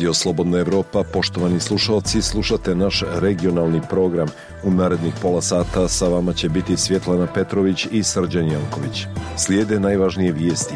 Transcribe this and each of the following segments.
Radio Slobodna Evropa, poštovani slušalci, slušate naš regionalni program. U narednih pola sata sa vama će biti Svjetlana Petrović i Srđan Janković. Slijede najvažnije vijesti.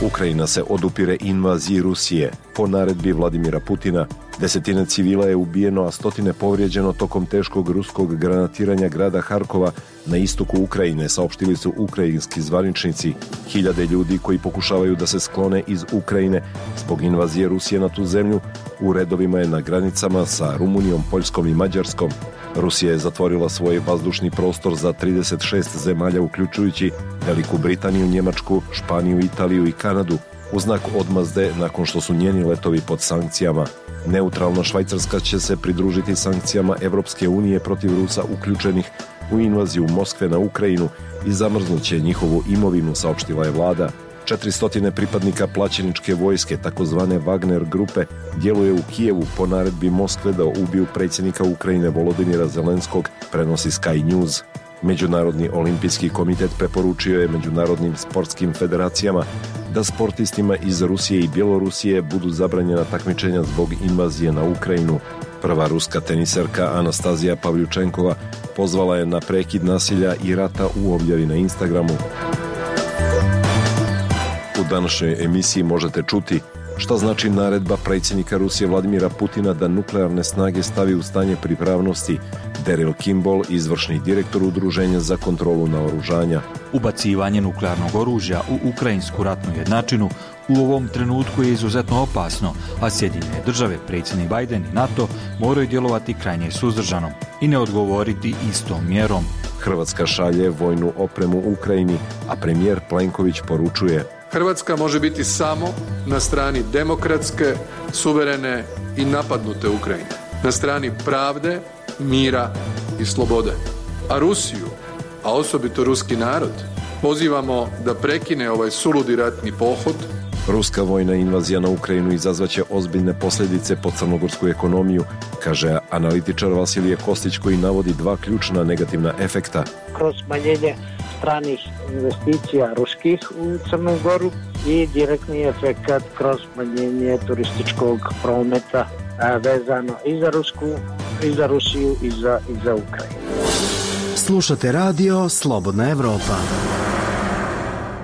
Ukrajina se odupire invaziji Rusije. Po naredbi Vladimira Putina, 10 civila je ubijeno, a 100 povrijeđeno tokom teškog ruskog granatiranja grada Harkova na istoku Ukrajine, saopštili su ukrajinski zvaničnici. Hiljade ljudi koji pokušavaju da se sklone iz Ukrajine zbog invazije Rusije na tu zemlju u redovima je na granicama sa Rumunijom, Poljskom i Mađarskom. Rusija je zatvorila svoj vazdušni prostor za 36 zemalja, uključujući Veliku Britaniju, Njemačku, Španiju, Italiju i Kanadu, u znak odmazde nakon što su njeni letovi pod sankcijama. Neutralna Švajcarska će se pridružiti sankcijama Evropske unije protiv Rusa uključenih u invaziju Moskve na Ukrajinu i zamrznuće njihovu imovinu, saopštila je vlada. 400 pripadnika plaćeničke vojske, takozvane Wagner grupe, djeluje u Kijevu po naredbi Moskve da ubiju predsjednika Ukrajine Volodymyra Zelenskog, prenosi Sky News. Međunarodni olimpijski komitet preporučio je međunarodnim sportskim federacijama da sportistima iz Rusije i Bjelorusije budu zabranjena takmičenja zbog invazije na Ukrajinu. Prva ruska teniserka Anastazija Pavljučenkova pozvala je na prekid nasilja i rata u objavi na Instagramu. U današnjoj emisiji možete čuti šta znači naredba predsjednika Rusije Vladimira Putina da nuklearne snage stavi u stanje pripravnosti. Daryl Kimball, izvršni direktor Udruženja za kontrolu naoružanja. Ubacivanje nuklearnog oružja u ukrajinsku ratnu jednačinu u ovom trenutku je izuzetno opasno, a Sjedinjene države, predsjednik Biden i NATO moraju djelovati krajnje suzdržano i ne odgovoriti istom mjerom. Hrvatska šalje vojnu opremu Ukrajini, a premijer Plenković poručuje: Hrvatska može biti samo na strani demokratske, suverene i napadnute Ukrajine, na strani pravde, mira i slobode. A Rusiju, a osobito ruski narod, pozivamo da prekine ovaj suludi ratni pohod. Ruska vojna invazija na Ukrajinu izazvaće ozbiljne posljedice po crnogorsku ekonomiju, kaže analitičar Vasilije Kostić, koji navodi dva ključna negativna efekta. Kroz smanjenje stranih investicija ruskih u Crnu Goru i direktni efekt kroz smanjenje turističkog prometa vezano i za Rusiju i za Ukrajinu. Slušate radio Slobodna Evropa.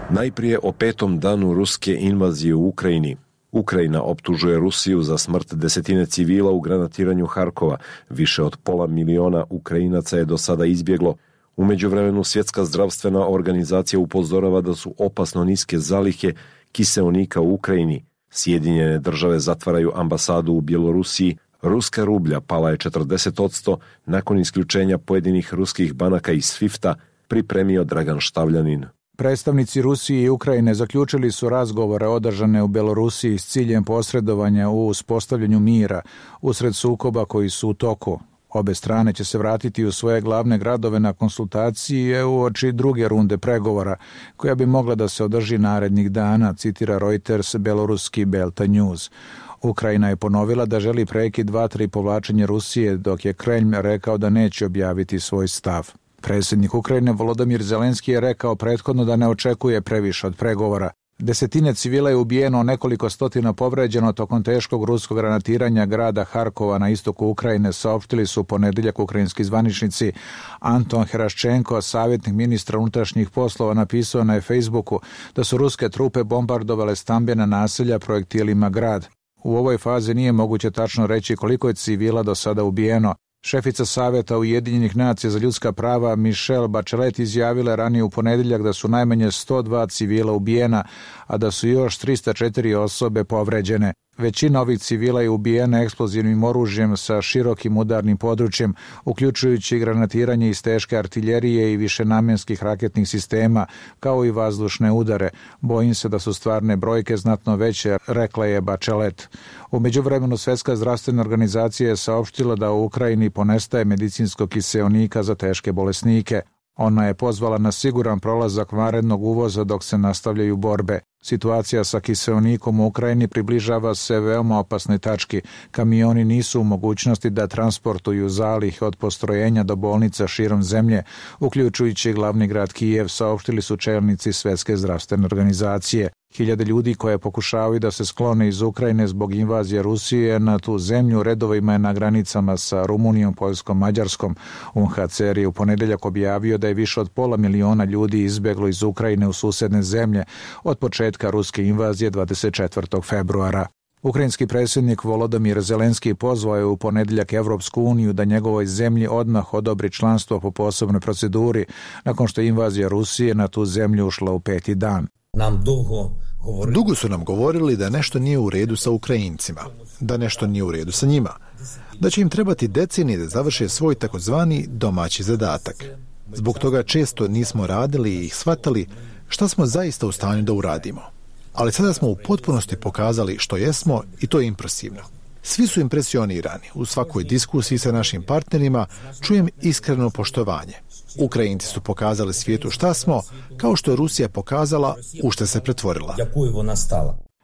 Najprije o 5. danu ruske invazije u Ukrajini. Ukrajina optužuje Rusiju za smrt 10 civila u granatiranju Harkova. Više od 500.000 Ukrajinaca je do sada izbjeglo. U međuvremenu Svjetska zdravstvena organizacija upozorava da su opasno niske zalihe kiseonika u Ukrajini. Sjedinjene države zatvaraju ambasadu u Bjelorusiji. Ruska rublja pala je 40% nakon isključenja pojedinih ruskih banaka iz SWIFT-a, pripremio Dragan Štavljanin. Predstavnici Rusije i Ukrajine zaključili su razgovore održane u Bjelorusiji s ciljem posredovanja u uspostavljanju mira usred sukoba koji su u toku. Obe strane će se vratiti u svoje glavne gradove na konsultacije uoči druge runde pregovora, koja bi mogla da se održi narednih dana, citira Reuters bjeloruski Belta News. Ukrajina je ponovila da želi prekid vatre i povlačenje Rusije, dok je Kremlj rekao da neće objaviti svoj stav. Predsjednik Ukrajine Volodymyr Zelenski je rekao prethodno da ne očekuje previše od pregovora. 10 civila je ubijeno, nekoliko stotina povređeno tokom teškog ruskog granatiranja grada Harkova na istoku Ukrajine, saopštili su ponedjeljak ukrajinski zvaničnici. Anton Heraščenko, savjetnik ministra unutrašnjih poslova, napisao na Facebooku da su ruske trupe bombardovale stambena naselja projektilima grad. U ovoj fazi nije moguće tačno reći koliko je civila do sada ubijeno. Šefica Savjeta Ujedinjenih nacija za ljudska prava Michelle Bachelet izjavila ranije u ponedjeljak da su najmanje 102 civila ubijena, a da su još 304 osobe povređene. Većina ovih civila je ubijena eksplozivnim oružjem sa širokim udarnim područjem, uključujući granatiranje iz teške artiljerije i višenamjenskih raketnih sistema, kao i vazdušne udare. Bojim se da su stvarne brojke znatno veće, rekla je Bachelet. U međuvremenu Svjetska zdravstvena organizacija je saopštila da u Ukrajini ponestaje medicinskog kiseonika za teške bolesnike. Ona je pozvala na siguran prolazak vanrednog uvoza dok se nastavljaju borbe. Situacija sa kiseonikom u Ukrajini približava se veoma opasnoj tački. Kamioni nisu u mogućnosti da transportuju zalihe od postrojenja do bolnica širom zemlje, uključujući glavni grad Kijev, saopštili su čelnici Svjetske zdravstvene organizacije. Hiljade ljudi koje pokušavaju da se sklone iz Ukrajine zbog invazije Rusije na tu zemlju redovima je na granicama sa Rumunijom, Poljskom, Mađarskom. UNHCR je u ponedeljak objavio da je više od 500.000 ljudi izbjeglo iz Ukrajine u susedne zemlje od početka ruske invazije 24. februara. Ukrajinski predsjednik Volodymyr Zelenski pozvao je u ponedeljak Evropsku uniju da njegovoj zemlji odmah odobri članstvo po posebnoj proceduri nakon što je invazija Rusije na tu zemlju ušla u 5. dan. Dugo su nam govorili da nešto nije u redu sa Ukrajincima, da nešto nije u redu sa njima, da će im trebati decenije da završe svoj takozvani domaći zadatak. Zbog toga često nismo radili i shvatali šta smo zaista u stanju da uradimo. Ali sada smo u potpunosti pokazali što jesmo i to je impresivno. Svi su impresionirani. U svakoj diskusiji sa našim partnerima čujem iskreno poštovanje. Ukrajinci su pokazali svijetu šta smo, kao što je Rusija pokazala u šta se pretvorila.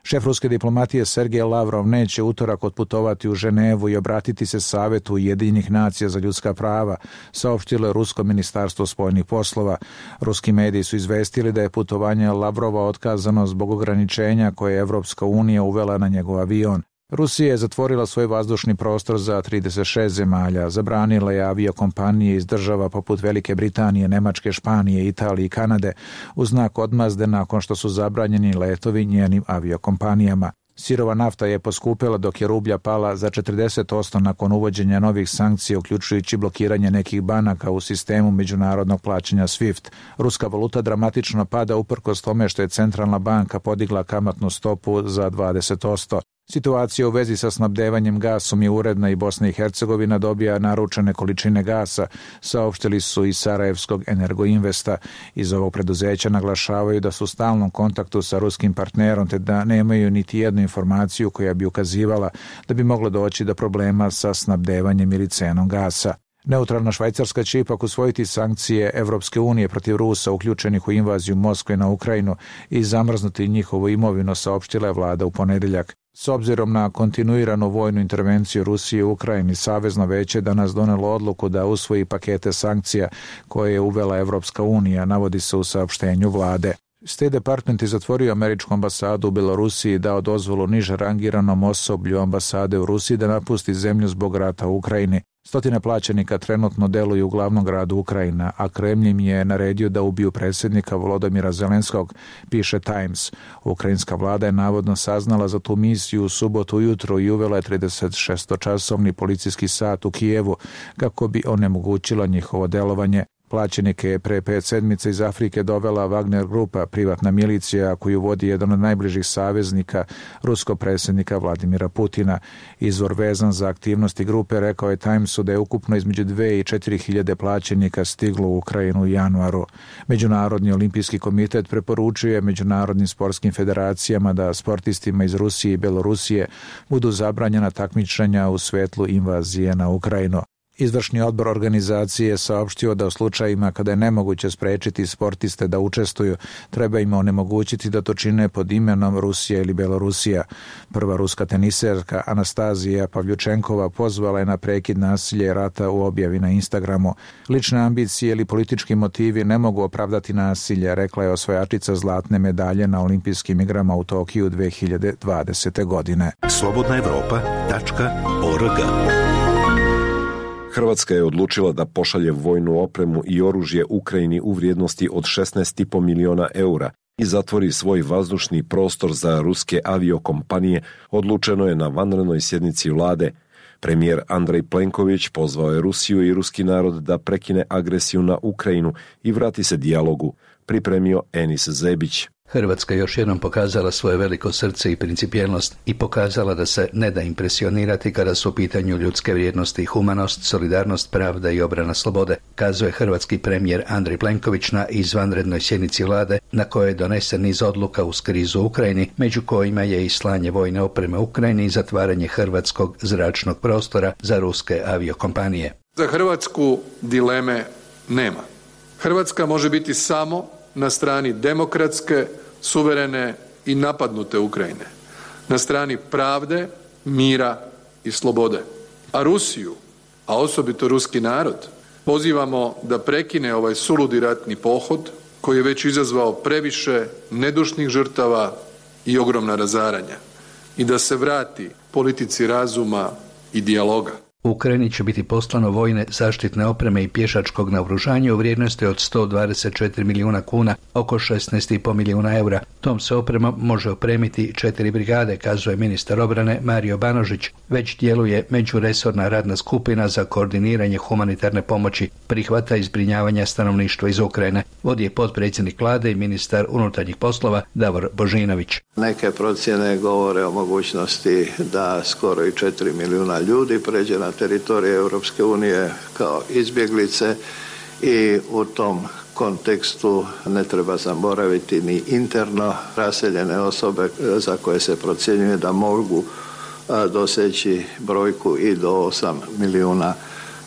Šef ruske diplomatije Sergej Lavrov neće utorak otputovati u Ženevu i obratiti se Savetu Ujedinjenih nacija za ljudska prava, saopštilo je Rusko ministarstvo spoljnih poslova. Ruski mediji su izvestili da je putovanje Lavrova otkazano zbog ograničenja koje je Evropska unija uvela na njegov avion. Rusija je zatvorila svoj vazdušni prostor za 36 zemalja, zabranila je aviokompanije iz država poput Velike Britanije, Nemačke, Španije, Italije i Kanade u znak odmazde nakon što su zabranjeni letovi njenim aviokompanijama. Sirova nafta je poskupela dok je rublja pala za 40% nakon uvođenja novih sankcija, uključujući blokiranje nekih banaka u sistemu međunarodnog plaćanja SWIFT. Ruska valuta dramatično pada uprkos tome što je centralna banka podigla kamatnu stopu za 20%. Situacija u vezi sa snabdevanjem gasom je uredna i Bosna i Hercegovina dobija naručene količine gasa, saopštili su iz Sarajevskog Energoinvesta. Iz ovog preduzeća naglašavaju da su u stalnom kontaktu sa ruskim partnerom te da nemaju niti jednu informaciju koja bi ukazivala da bi moglo doći do problema sa snabdevanjem ili cenom gasa. Neutralna Švajcarska će ipak usvojiti sankcije Evropske unije protiv Rusa uključenih u invaziju Moskve na Ukrajinu i zamrznuti njihovu imovinu, saopštila je vlada u ponedeljak. S obzirom na kontinuiranu vojnu intervenciju Rusije u Ukrajini, Savezno veće danas donelo odluku da usvoji pakete sankcija koje je uvela Evropska unija, navodi se u saopštenju vlade. State Department je zatvorio američku ambasadu u Belorusiji i dao dozvolu niže rangiranom osoblju ambasade u Rusiji da napusti zemlju zbog rata u Ukrajini. Stotine plaćenika trenutno deluju u glavnom gradu Ukrajina, a Kremlj im je naredio da ubiju predsjednika Volodymyra Zelenskog, piše Times. Ukrajinska vlada je navodno saznala za tu misiju u subotu ujutro i uvela je 36-časovni policijski sat u Kijevu kako bi onemogućila njihovo delovanje. Plaćenike je pre 5 sedmica iz Afrike dovela Wagner grupa, privatna milicija koju vodi jedan od najbližih saveznika ruskog predsjednika Vladimira Putina. Izvor vezan za aktivnosti grupe rekao je Timesu da je ukupno između 2 i 4 hiljade plaćenika stiglo u Ukrajinu u januaru. Međunarodni olimpijski komitet preporučuje međunarodnim sportskim federacijama da sportistima iz Rusije i Belorusije budu zabranjena takmičenja u svetlu invazije na Ukrajinu. Izvršni odbor organizacije je saopštio da u slučajima kada je nemoguće sprečiti sportiste da učestvuju, treba im onemogućiti da to čine pod imenom Rusija ili Belorusija. Prva ruska teniserka Anastazija Pavljučenkova pozvala je na prekid nasilja i rata u objavi na Instagramu. Lične ambicije ili politički motivi ne mogu opravdati nasilje, rekla je osvajačica zlatne medalje na olimpijskim igrama u Tokiju 2020. godine. slobodnaevropa.org. Hrvatska je odlučila da pošalje vojnu opremu i oružje Ukrajini u vrijednosti od 16,5 miliona eura i zatvori svoj vazdušni prostor za ruske aviokompanije, odlučeno je na vanrednoj sjednici vlade. Premijer Andrej Plenković pozvao je Rusiju i ruski narod da prekine agresiju na Ukrajinu i vrati se dijalogu, pripremio Enis Zebić. Hrvatska još jednom pokazala svoje veliko srce i principijelnost i pokazala da se ne da impresionirati kada su u pitanju ljudske vrijednosti i humanost, solidarnost, pravda i obrana slobode, kazuje hrvatski premijer Andrej Plenković na izvanrednoj sjednici vlade na kojoj je donesen niz odluka uz krizu u Ukrajini, među kojima je i slanje vojne opreme Ukrajini i zatvaranje hrvatskog zračnog prostora za ruske aviokompanije. Za Hrvatsku dileme nema. Hrvatska može biti samo na strani demokratske, suverene i napadnute Ukrajine, na strani pravde, mira i slobode. A Rusiju, a osobito ruski narod, pozivamo da prekine ovaj suludi ratni pohod koji je već izazvao previše nedušnih žrtava i ogromna razaranja i da se vrati politici razuma i dijaloga. U Ukrajini će biti poslano vojne zaštitne opreme i pješačkog naoružanja u vrijednosti od 124 milijuna kuna, oko 16,5 milijuna eura. Tom se opremom može opremiti 4 brigade, kazuje ministar obrane Mario Banožić. Već djeluje međuresorna radna skupina za koordiniranje humanitarne pomoći, prihvata i zbrinjavanja stanovništva iz Ukrajine. Vodi je potpredsjednik vlade i ministar unutarnjih poslova Davor Božinović. Neke procjene govore o mogućnosti da skoro i 4 milijuna ljudi pređe na teritorije Europske unije kao izbjeglice i u tom kontekstu ne treba zaboraviti ni interno raseljene osobe za koje se procjenjuje da mogu doseći brojku i do 8 milijuna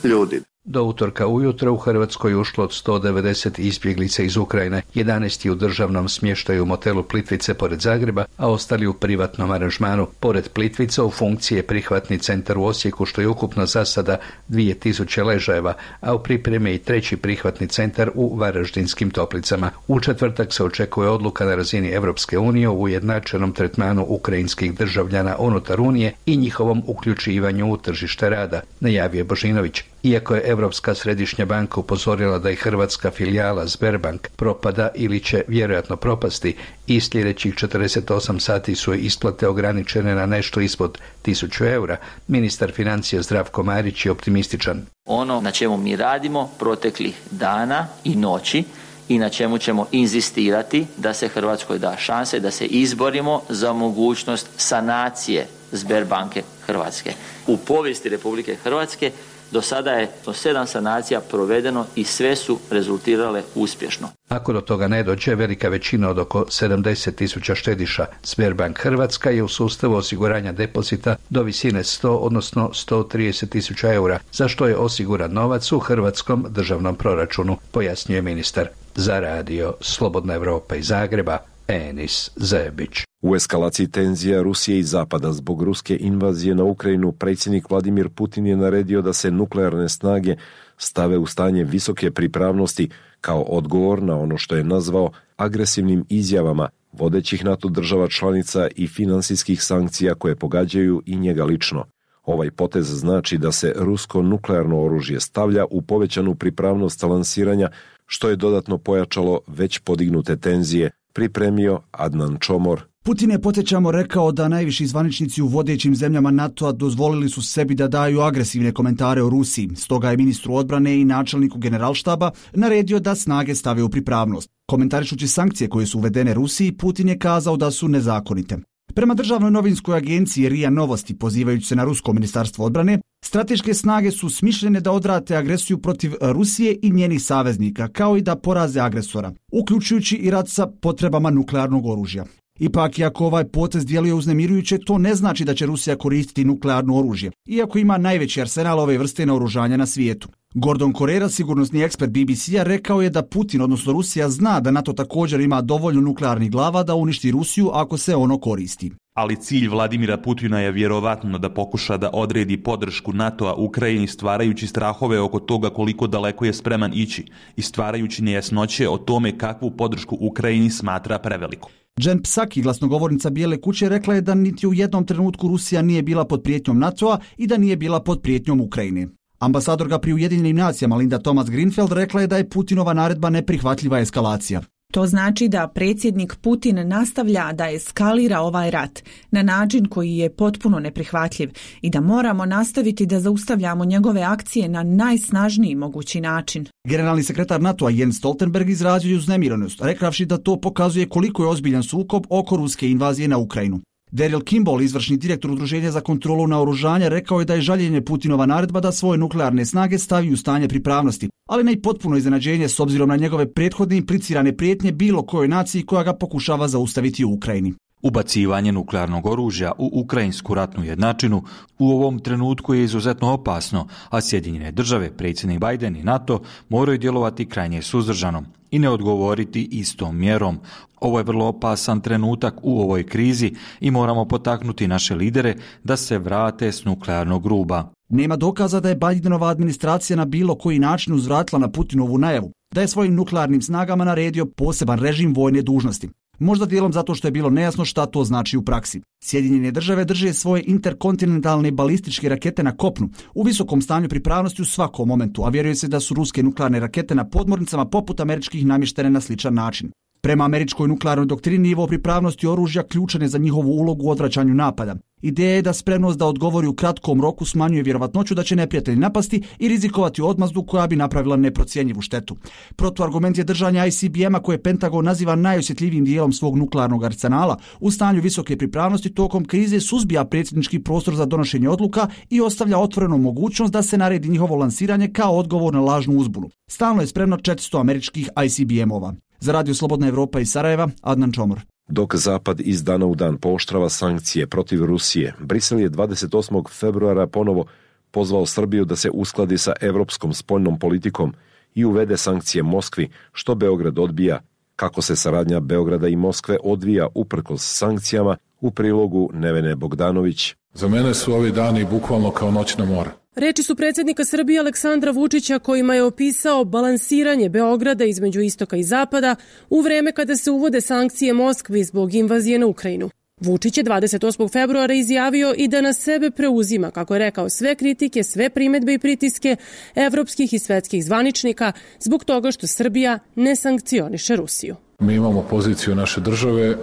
ljudi. Do utorka ujutro u Hrvatskoj ušlo od 190 izbjeglica iz Ukrajine, 11 u državnom smještaju u motelu Plitvice pored Zagreba, a ostali u privatnom aranžmanu. Pored Plitvice u funkciji je prihvatni centar u Osijeku, što je ukupno za sada 2000 ležajeva, a u pripremi je i treći prihvatni centar u Varaždinskim Toplicama. U četvrtak se očekuje odluka na razini Europske unije o ujednačenom tretmanu ukrajinskih državljana unutar Unije i njihovom uključivanju u tržište rada, najavio Božinović. Iako je Europska središnja banka upozorila da je hrvatska filijala Sberbank propada ili će vjerojatno propasti, i sljedećih 48 sati su isplate ograničene na nešto ispod 1000 eura, ministar financija Zdravko Marić je optimističan. Ono na čemu mi radimo proteklih dana i noći i na čemu ćemo inzistirati da se Hrvatskoj da šanse da se izborimo za mogućnost sanacije Sberbanke Hrvatske. U povijesti Republike Hrvatske do sada je 7 sanacija provedeno i sve su rezultirale uspješno. Ako do toga ne dođe, velika većina od oko 70.000 štediša Sberbank Hrvatska je u sustavu osiguranja depozita do visine 100, odnosno 130.000 eura, za što je osiguran novac u hrvatskom državnom proračunu, pojasnjuje ministar. Za radio Slobodna Evropa iz Zagreba, Enis Zebić. U eskalaciji tenzija Rusije i Zapada zbog ruske invazije na Ukrajinu, predsjednik Vladimir Putin je naredio da se nuklearne snage stave u stanje visoke pripravnosti kao odgovor na ono što je nazvao agresivnim izjavama vodećih NATO država članica i finansijskih sankcija koje pogađaju i njega lično. Ovaj potez znači da se rusko nuklearno oružje stavlja u povećanu pripravnost lansiranja, što je dodatno pojačalo već podignute tenzije, pripremio Adnan Čomor. Putin je, podsjećamo, rekao da najviši zvaničnici u vodećim zemljama NATO-a dozvolili su sebi da daju agresivne komentare o Rusiji. Stoga je ministru odbrane i načelniku generalštaba naredio da snage stave u pripravnost. Komentarišući sankcije koje su uvedene Rusiji, Putin je kazao da su nezakonite. Prema državnoj novinskoj agenciji RIA Novosti, pozivajući se na rusko ministarstvo odbrane, strateške snage su smišljene da odvrate agresiju protiv Rusije i njenih saveznika, kao i da poraze agresora, uključujući i rat sa potrebama nuklearnog oružja. Ipak, iako ovaj potez djeluje uznemirujuće, to ne znači da će Rusija koristiti nuklearno oružje, iako ima najveći arsenal ove vrste naoružanja na svijetu. Gordon Correra, sigurnosni ekspert BBC-a, rekao je da Putin, odnosno Rusija, zna da NATO također ima dovoljno nuklearnih glava da uništi Rusiju ako se ono koristi. Ali cilj Vladimira Putina je vjerovatno da pokuša da odredi podršku NATO-a Ukrajini, stvarajući strahove oko toga koliko daleko je spreman ići i stvarajući nejasnoće o tome kakvu podršku Ukrajini smatra preveliku. Jen Psaki, glasnogovornica Bijele kuće, rekla je da niti u jednom trenutku Rusija nije bila pod prijetnjom NATO-a i da nije bila pod prijetnjom Ukrajine. Ambasadorka pri Ujedinjenim nacijama Linda Thomas-Greenfield rekla je da je Putinova naredba neprihvatljiva eskalacija. To znači da predsjednik Putin nastavlja da eskalira ovaj rat na način koji je potpuno neprihvatljiv i da moramo nastaviti da zaustavljamo njegove akcije na najsnažniji mogući način. Generalni sekretar NATO-a Jens Stoltenberg izrazio je uznemirenost, rekavši da to pokazuje koliko je ozbiljan sukob oko ruske invazije na Ukrajinu. Daryl Kimball, izvršni direktor Udruženja za kontrolu naoružanja, rekao je da je žaljenje Putinova naredba da svoje nuklearne snage stavi u stanje pripravnosti, ali ne i potpuno iznenađenje s obzirom na njegove prethodne implicirane prijetnje bilo kojoj naciji koja ga pokušava zaustaviti u Ukrajini. Ubacivanje nuklearnog oružja u ukrajinsku ratnu jednačinu u ovom trenutku je izuzetno opasno, a Sjedinjene države, predsjednik Biden i NATO moraju djelovati krajnje suzdržano i ne odgovoriti istom mjerom. Ovo je vrlo opasan trenutak u ovoj krizi i moramo potaknuti naše lidere da se vrate s nuklearnog ruba. Nema dokaza da je Bidenova administracija na bilo koji način uzvratila na Putinovu najavu, da je svojim nuklearnim snagama naredio poseban režim vojne dužnosti. Možda dijelom zato što je bilo nejasno šta to znači u praksi. Sjedinjene države drže svoje interkontinentalne balističke rakete na kopnu u visokom stanju pripravnosti u svakom momentu, a vjeruje se da su ruske nuklearne rakete na podmornicama poput američkih namještene na sličan način. Prema američkoj nuklearnoj doktrini, nivo pripravnosti oružja ključan je za njihovu ulogu u odvraćanju napada. Ideja je da spremnost da odgovori u kratkom roku smanjuje vjerovatnoću da će neprijatelj napasti i rizikovati odmazdu koja bi napravila neprocjenjivu štetu. Protuargument je držanja ICBM-a koje Pentagon naziva najosjetljivijim dijelom svog nuklearnog arsenala. U stanju visoke pripravnosti tokom krize suzbija predsjednički prostor za donošenje odluka i ostavlja otvorenu mogućnost da se naredi njihovo lansiranje kao odgovor na lažnu uzbunu. Stalno je spremno 400 američkih ICBM-ova. Za Radio Slobodna Evropa iz Sarajeva, Adnan Čomor. Dok Zapad iz dana u dan pooštrava sankcije protiv Rusije, Brisel je 28. februara ponovo pozvao Srbiju da se uskladi sa evropskom spoljnom politikom i uvede sankcije Moskvi, što Beograd odbija. Kako se saradnja Beograda i Moskve odvija uprkos sankcijama, u prilogu Nevene Bogdanović. Za mene su ovi dani bukvalno kao noćna mora. Reči su predsjednika Srbije Aleksandra Vučića kojima je opisao balansiranje Beograda između istoka i zapada u vreme kada se uvode sankcije Moskvi zbog invazije na Ukrajinu. Vučić je 28. februara izjavio i da na sebe preuzima, kako je rekao, sve kritike, sve primedbe i pritiske evropskih i svetskih zvaničnika zbog toga što Srbija ne sankcioniše Rusiju. Mi imamo poziciju naše države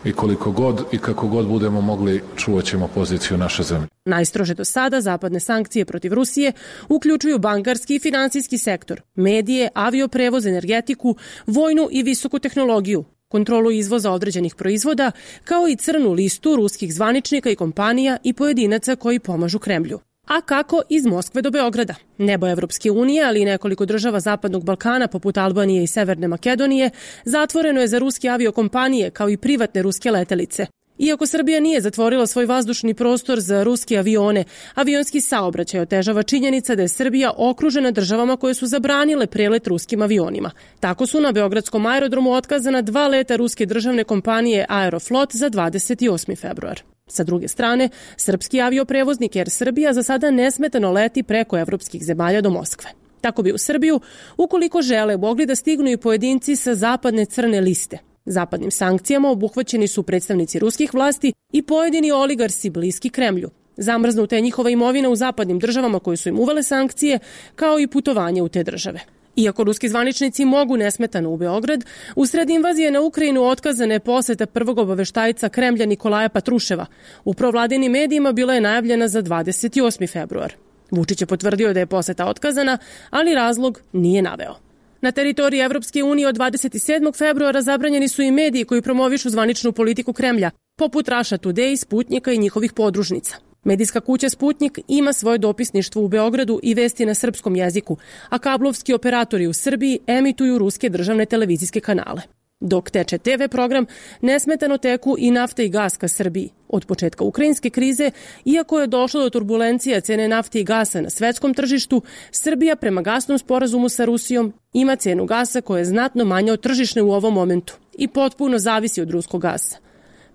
i koliko god i kako god budemo mogli čuvat ćemo poziciju naše zemlje. Najstrože do sada zapadne sankcije protiv Rusije uključuju bankarski i finansijski sektor, medije, avioprevoz, energetiku, vojnu i visoku tehnologiju, kontrolu izvoza određenih proizvoda, kao i crnu listu ruskih zvaničnika i kompanija i pojedinaca koji pomažu Kremlju. A kako iz Moskve do Beograda? Nebo Evropske unije, ali i nekoliko država Zapadnog Balkana, poput Albanije i Severne Makedonije, zatvoreno je za ruske aviokompanije, kao i privatne ruske letelice. Iako Srbija nije zatvorila svoj vazdušni prostor za ruske avione, avionski saobraćaj otežava činjenica da je Srbija okružena državama koje su zabranile prelet ruskim avionima. Tako su na beogradskom aerodromu otkazana 2 leta ruske državne kompanije Aeroflot za 28. februar. Sa druge strane, srpski avioprevoznik Air Srbija za sada nesmetano leti preko evropskih zemalja do Moskve. Tako bi u Srbiju, ukoliko žele, mogli da stignu i pojedinci sa zapadne crne liste. Zapadnim sankcijama obuhvaćeni su predstavnici ruskih vlasti i pojedini oligarsi bliski Kremlju. Zamrznuta je njihova imovina u zapadnim državama koje su im uvele sankcije, kao i putovanje u te države. Iako ruski zvaničnici mogu nesmetano u Beograd, usred invazije na Ukrajinu otkazana je poseta prvog obaveštajca Kremlja Nikolaja Patruševa. U provladinim medijima bila je najavljena za 28. februar. Vučić je potvrdio da je poseta otkazana, ali razlog nije naveo. Na teritoriji Evropske unije od 27. februara zabranjeni su i mediji koji promovišu zvaničnu politiku Kremlja, poput Russia Today, Sputnika i njihovih podružnica. Medijska kuća Sputnik ima svoje dopisništvo u Beogradu i vesti na srpskom jeziku, a kablovski operatori u Srbiji emituju ruske državne televizijske kanale. Dok teče TV program, nesmetano teku i nafta i gas ka Srbiji. Od početka ukrajinske krize, iako je došlo do turbulencija cene nafte i gasa na svetskom tržištu, Srbija prema gasnom sporazumu sa Rusijom ima cenu gasa koja je znatno manja od tržišne u ovom momentu i potpuno zavisi od ruskog gasa.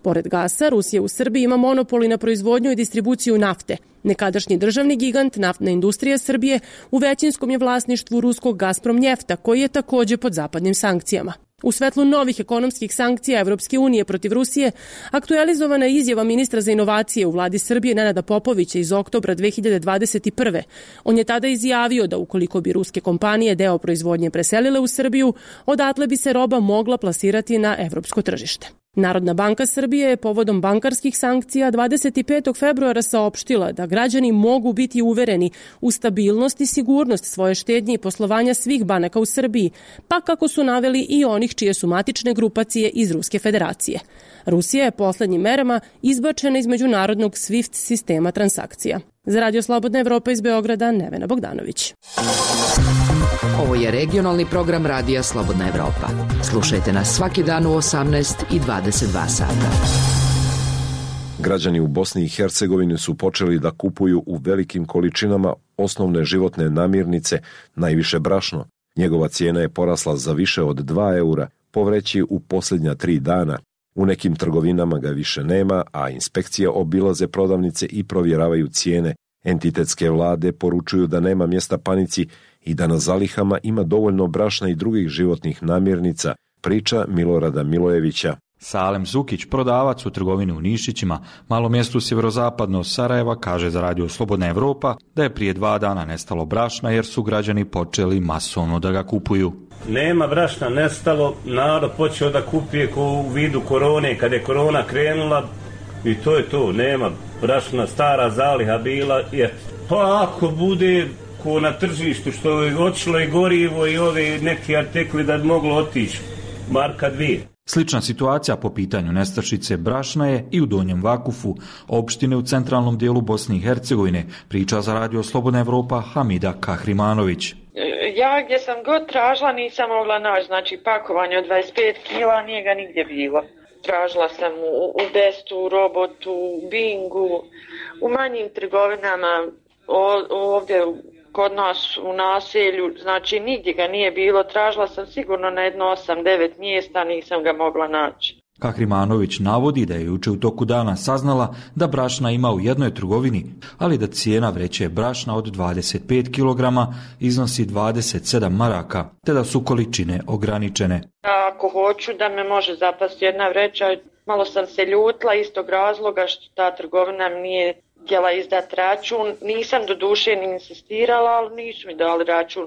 Pored gasa, Rusija u Srbiji ima monopoli na proizvodnju i distribuciju nafte. Nekadašnji državni gigant, naftna industrija Srbije, u većinskom je vlasništvu ruskog Gazprom Njefta, koji je također pod zapadnim sankcijama. U svetlu novih ekonomskih sankcija Evropske unije protiv Rusije, aktualizovana je izjava ministra za inovacije u vladi Srbije Nenada Popovića iz oktobra 2021. On je tada izjavio da ukoliko bi ruske kompanije deo proizvodnje preselile u Srbiju, odatle bi se roba mogla plasirati na evropsko tržište. Narodna banka Srbije je povodom bankarskih sankcija 25. februara saopštila da građani mogu biti uvereni u stabilnost i sigurnost svoje štednje i poslovanja svih banaka u Srbiji, pa kako su naveli i onih čije su matične grupacije iz Ruske federacije. Rusija je poslednjim merama izbačena iz međunarodnog SWIFT sistema transakcija. Za Radio Slobodna Evropa iz Beograda, Nevena Bogdanović. Ovo je regionalni program Radija Slobodna Evropa. Slušajte nas svaki dan u 18 i 22 sata. Građani u Bosni i Hercegovini su počeli da kupuju u velikim količinama osnovne životne namirnice, najviše brašno. Njegova cijena je porasla za više od 2 eura po vreći u posljednja 3 dana. U nekim trgovinama ga više nema, a inspekcije obilaze prodavnice i provjeravaju cijene. Entitetske vlade poručuju da nema mjesta panici i da na zalihama ima dovoljno brašna i drugih životnih namirnica, priča Milorada Milojevića. Salem Zukić, prodavac u trgovini u Nišićima, malom mjestu sjeverozapadno od Sarajeva, kaže za radio Slobodna Evropa da je prije 2 dana nestalo brašna jer su građani počeli masovno da ga kupuju. Nema brašna nestalo, narod počeo da kupuje u vidu korone, kad je korona krenula i to je to, nema brašna, stara zaliha bila. Pa ako bude ko na tržištu što je otišlo i gorivo i ove neki artikli da bi moglo otići, marka 2. Slična situacija po pitanju nestašice brašna je i u Donjem Vakufu, opštine u centralnom dijelu Bosne i Hercegovine, priča za radio Slobodna Evropa Hamida Kahrimanović. Ja gdje sam god tražila nisam mogla naći, znači pakovanje od 25 kila nije ga nigdje bilo. Tražila sam u Bestu, u Robotu, u Bingu, u manjim trgovinama, ovdje kod nas u naselju, znači nigdje ga nije bilo. Tražila sam sigurno na jedno 8-9 mjesta, nisam ga mogla naći. Kahrimanović navodi da je juče u toku dana saznala da brašna ima u jednoj trgovini, ali da cijena vreće brašna od 25 kg iznosi 27 maraka, te da su količine ograničene. Ako hoću da me može zapasti jedna vreća, malo sam se ljutila iz tog razloga što ta trgovina mi nije htjela izdati račun. Nisam do duše ni insistirala, ali nisu mi dali račun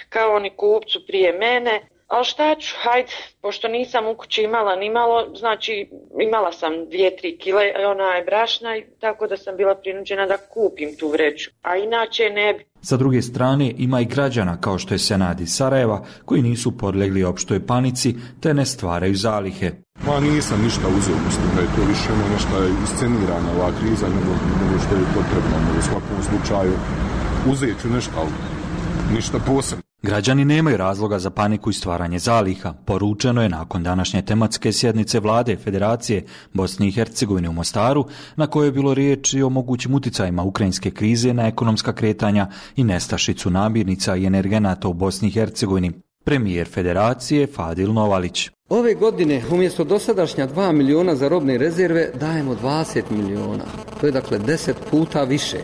kao oni kupcu prije mene. Ali šta ću, hajde, pošto nisam u kući imala ni malo, znači imala sam 2-3 kile brašna, tako da sam bila prinuđena da kupim tu vreću, a inače ne bi. Sa druge strane ima i građana kao što je Senad iz Sarajeva koji nisu podlegli opštoj panici te ne stvaraju zalihe. Ma nisam ništa uzeo, mislim da je to više nešto iscenirana ova kriza nego što je potrebno, u svakom slučaju uzet ću nešto, ali ništa posebno. Građani nemaju razloga za paniku i stvaranje zaliha, poručeno je nakon današnje tematske sjednice vlade Federacije Bosne i Hercegovine u Mostaru, na kojoj je bilo riječi o mogućim uticajima ukrajinske krize na ekonomska kretanja i nestašicu namirnica i energenata u Bosni i Hercegovini. Premijer Federacije Fadil Novalić. Ove godine umjesto dosadašnja 2 miliona za robne rezerve dajemo 20 miliona. To je dakle 10 puta više.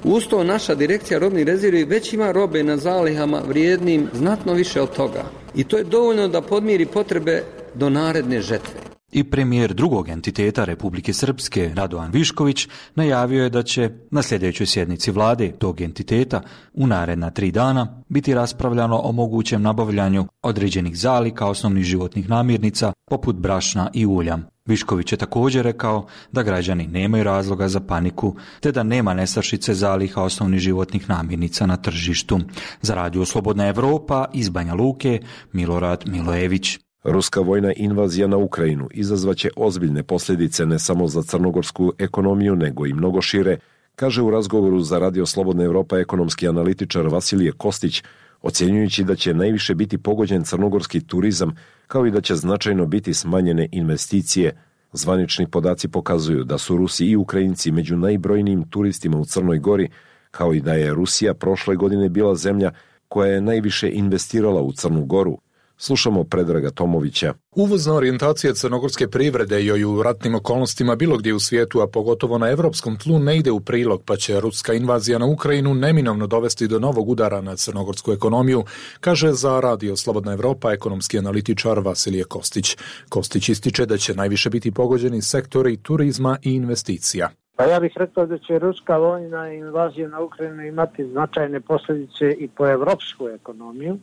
Uz to naša direkcija robnih rezervi već ima robe na zalihama vrijednim znatno više od toga. I to je dovoljno da podmiri potrebe do naredne žetve. I premijer drugog entiteta Republike Srpske, Radovan Višković, najavio je da će na sljedećoj sjednici vlade tog entiteta u naredna 3 dana biti raspravljano o mogućem nabavljanju određenih zaliha osnovnih životnih namirnica poput brašna i ulja. Višković je također rekao da građani nemaju razloga za paniku te da nema nestašice zaliha osnovnih životnih namirnica na tržištu. Za radio Slobodna Evropa iz Banja Luke, Milorad Milojević. Ruska vojna invazija na Ukrajinu izazvaće ozbiljne posljedice ne samo za crnogorsku ekonomiju, nego i mnogo šire, kaže u razgovoru za radio Slobodna Evropa ekonomski analitičar Vasilije Kostić, ocjenjujući da će najviše biti pogođen crnogorski turizam, kao i da će značajno biti smanjene investicije. Zvanični podaci pokazuju da su Rusi i Ukrajinci među najbrojnijim turistima u Crnoj Gori, kao i da je Rusija prošle godine bila zemlja koja je najviše investirala u Crnu Goru. Slušamo Predraga Tomovića. Uvozna orijentacija crnogorske privrede joj u ratnim okolnostima bilo gdje u svijetu, a pogotovo na evropskom tlu, ne ide u prilog, pa će ruska invazija na Ukrajinu neminovno dovesti do novog udara na crnogorsku ekonomiju, kaže za radio Slobodna Evropa ekonomski analitičar Vasilije Kostić. Kostić ističe da će najviše biti pogođeni sektori turizma i investicija. Pa ja bih rekao da će ruska vojna invazija na Ukrajinu imati značajne posljedice i po evropsku ekonomiju,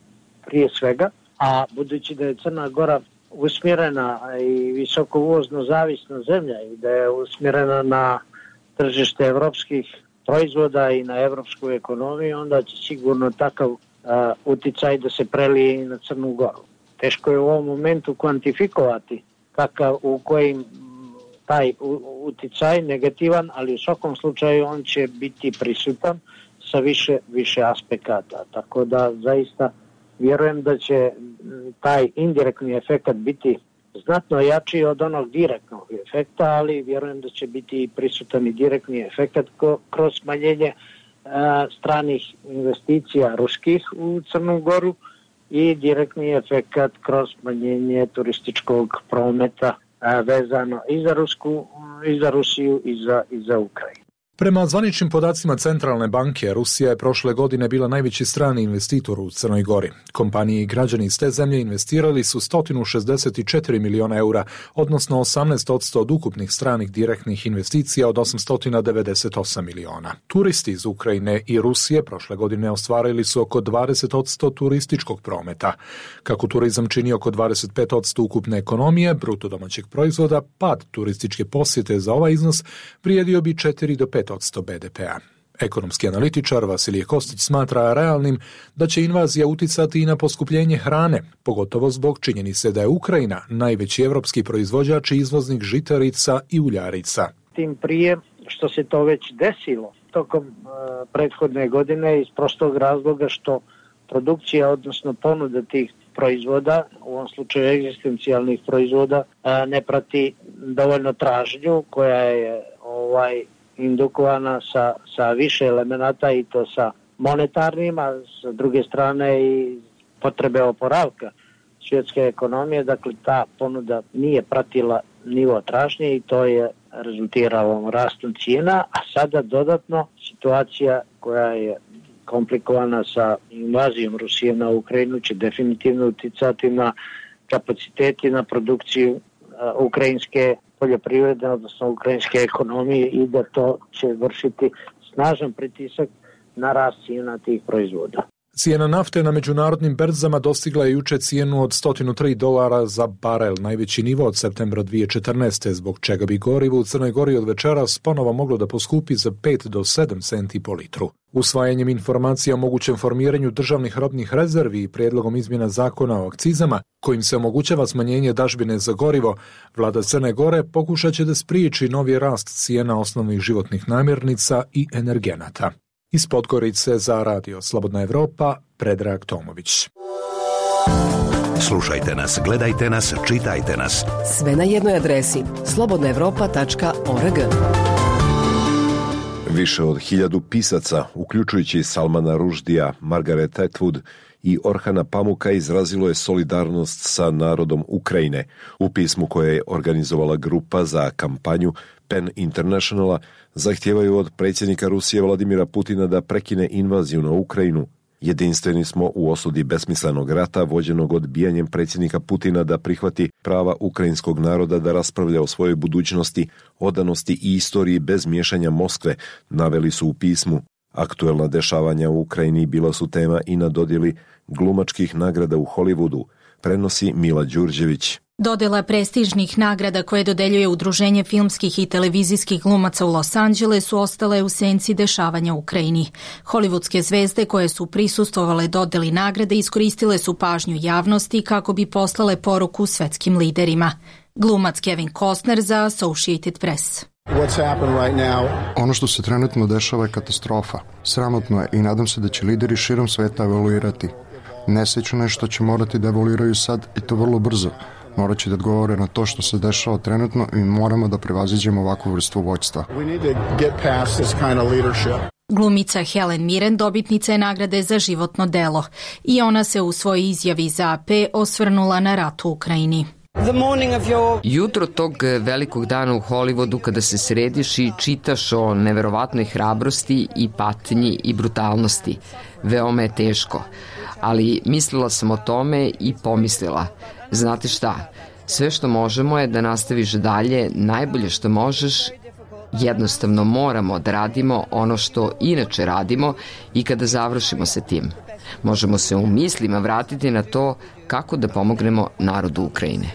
prije svega. A budući da je Crna Gora usmjerena i visoko uvozno zavisna zemlja i da je usmjerena na tržište evropskih proizvoda i na evropsku ekonomiju, onda će sigurno takav uticaj da se prelije i na Crnu Goru. Teško je u ovom momentu kvantifikovati u kojim taj uticaj negativan, ali u svakom slučaju on će biti prisutan sa više aspekata. Tako da zaista vjerujem da će taj indirektni efekt biti znatno jači od onog direktnog efekta, ali vjerujem da će biti prisutan i direktni efekt kroz smanjenje stranih investicija ruskih u Crnu Goru i direktni efekt kroz smanjenje turističkog prometa vezano i za Rusiju i za Ukrajinu. Prema zvaničnim podacima Centralne banke, Rusija je prošle godine bila najveći strani investitor u Crnoj Gori. Kompanije i građani iz te zemlje investirali su 164 miliona eura, odnosno 18% od ukupnih stranih direktnih investicija od 898 miliona. Turisti iz Ukrajine i Rusije prošle godine ostvarili su oko 20% turističkog prometa. Kako turizam čini oko 25% ukupne ekonomije, bruto domaćeg proizvoda, pad turističke posjete za ovaj iznos vrijedio bi 4 do 5% BDP-a. Ekonomski analitičar Vasilije Kostić smatra realnim da će invazija uticati i na poskupljenje hrane, pogotovo zbog činjenice da je Ukrajina najveći evropski proizvođač i izvoznik žitarica i uljarica. Tim prije što se to već desilo tokom prethodne godine iz prostog razloga što produkcija, odnosno ponuda tih proizvoda, u ovom slučaju egzistencijalnih proizvoda, ne prati dovoljno tražnju koja je indukovana sa više elemenata i to sa monetarnim, a sa druge strane i potrebe oporavka svjetske ekonomije. Dakle, ta ponuda nije pratila nivo tražnje i to je rezultiralo rastom cijena, a sada dodatno situacija koja je komplikovana sa invazijom Rusije na Ukrajinu će definitivno uticati na kapaciteti, na produkciju ukrajinske poljoprivrede, odnosno ukrajinske ekonomije i da to će vršiti snažan pritisak na rast cijena tih proizvoda. Cijena nafte na međunarodnim berzama dostigla je juče cijenu od $103 za barel, najveći nivo od septembra 2014. zbog čega bi gorivo u Crnoj Gori od večeras ponovo moglo da poskupi za 5 do 7 centi po litru. Usvajanjem informacija o mogućem formiranju državnih robnih rezervi i prijedlogom izmjena zakona o akcizama, kojim se omogućava smanjenje dažbine za gorivo, vlada Crne Gore pokušat će da spriječi novi rast cijena osnovnih životnih namirnica i energenata. Iz Podgorice za Radio Slobodna Evropa, Predrag Tomović. Slušajte nas, gledajte nas, čitajte nas. Sve na jednoj adresi slobodnaevropa.org. Više od 1000 pisaca, uključujući Salmana Ruždija, Margaret Atwood i Orhana Pamuka, izrazilo je solidarnost sa narodom Ukrajine. U pismu koje je organizovala grupa za kampanju PEN Internationala zahtijevaju od predsjednika Rusije Vladimira Putina da prekine invaziju na Ukrajinu. Jedinstveni smo u osudi besmislenog rata vođenog odbijanjem predsjednika Putina da prihvati prava ukrajinskog naroda da raspravlja o svojoj budućnosti, odanosti i istoriji bez miješanja Moskve, naveli su u pismu. Aktuelna dešavanja u Ukrajini bila su tema i na dodjeli glumačkih nagrada u Hollywoodu, prenosi Mila Đurđević. Dodjela prestižnih nagrada koje dodeljuje Udruženje filmskih i televizijskih glumaca u Los Angelesu ostale u senci dešavanja u Ukrajini. Hollywoodske zvezde koje su prisustvovale dodjeli nagrade iskoristile su pažnju javnosti kako bi poslale poruku svetskim liderima. Glumac Kevin Costner za Associated Press. Ono što se trenutno dešava je katastrofa. Sramotno je i nadam se da će lideri širom sveta evoluirati. Nesrećno je što će morati da evoluiraju sad i to vrlo brzo. Morat će da odgovore na to što se dešava trenutno i moramo da prevaziđemo ovakvu vrstu vođstva. Glumica Helen Mirren dobitnica je nagrade za životno delo i ona se u svojoj izjavi za AP osvrnula na rat u Ukrajini. Jutro tog velikog dana u Hollywoodu kada se središ i čitaš o neverovatnoj hrabrosti i patnji i brutalnosti. Veoma je teško, ali mislila sam o tome i pomislila, znate šta, sve što možemo je da nastaviš dalje, najbolje što možeš, jednostavno moramo da radimo ono što inače radimo i kada završimo sa tim. Možemo se u mislima vratiti na to kako da pomognemo narodu Ukrajine.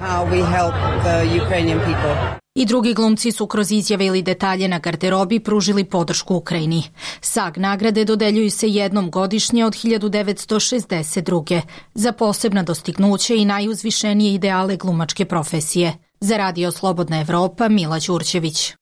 I drugi glumci su kroz izjave ili detalje na garderobi pružili podršku Ukrajini. SAG nagrade dodeljuju se jednom godišnje od 1962. za posebna dostignuće i najuzvišenije ideale glumačke profesije. Za Radio Slobodna Evropa, Mila Đurđević.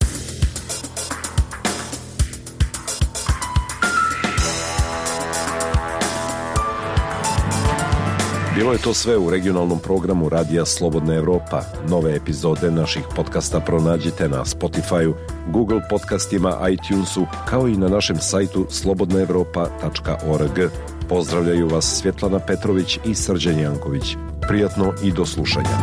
Bilo je to sve u regionalnom programu Radija Slobodna Evropa. Nove epizode naših podcasta pronađite na Spotify-u, Google podcastima, iTunesu, kao i na našem sajtu slobodnaevropa.org. Pozdravljaju vas Svjetlana Petrović i Srđan Janković. Prijatno i do slušanja.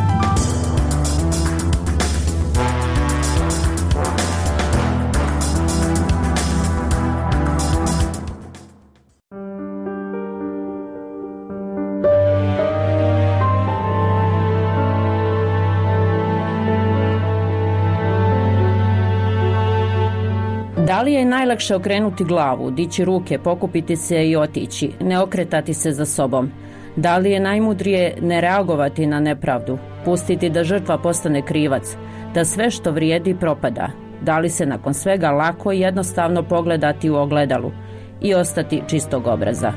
li je najlakše okrenuti glavu, dići ruke, pokupiti se i otići, ne okretati se za sobom? Da li je najmudrije ne reagovati na nepravdu, pustiti da žrtva postane krivac, da sve što vrijedi propada? Da li se nakon svega lako i jednostavno pogledati u ogledalu i ostati čistog obraza?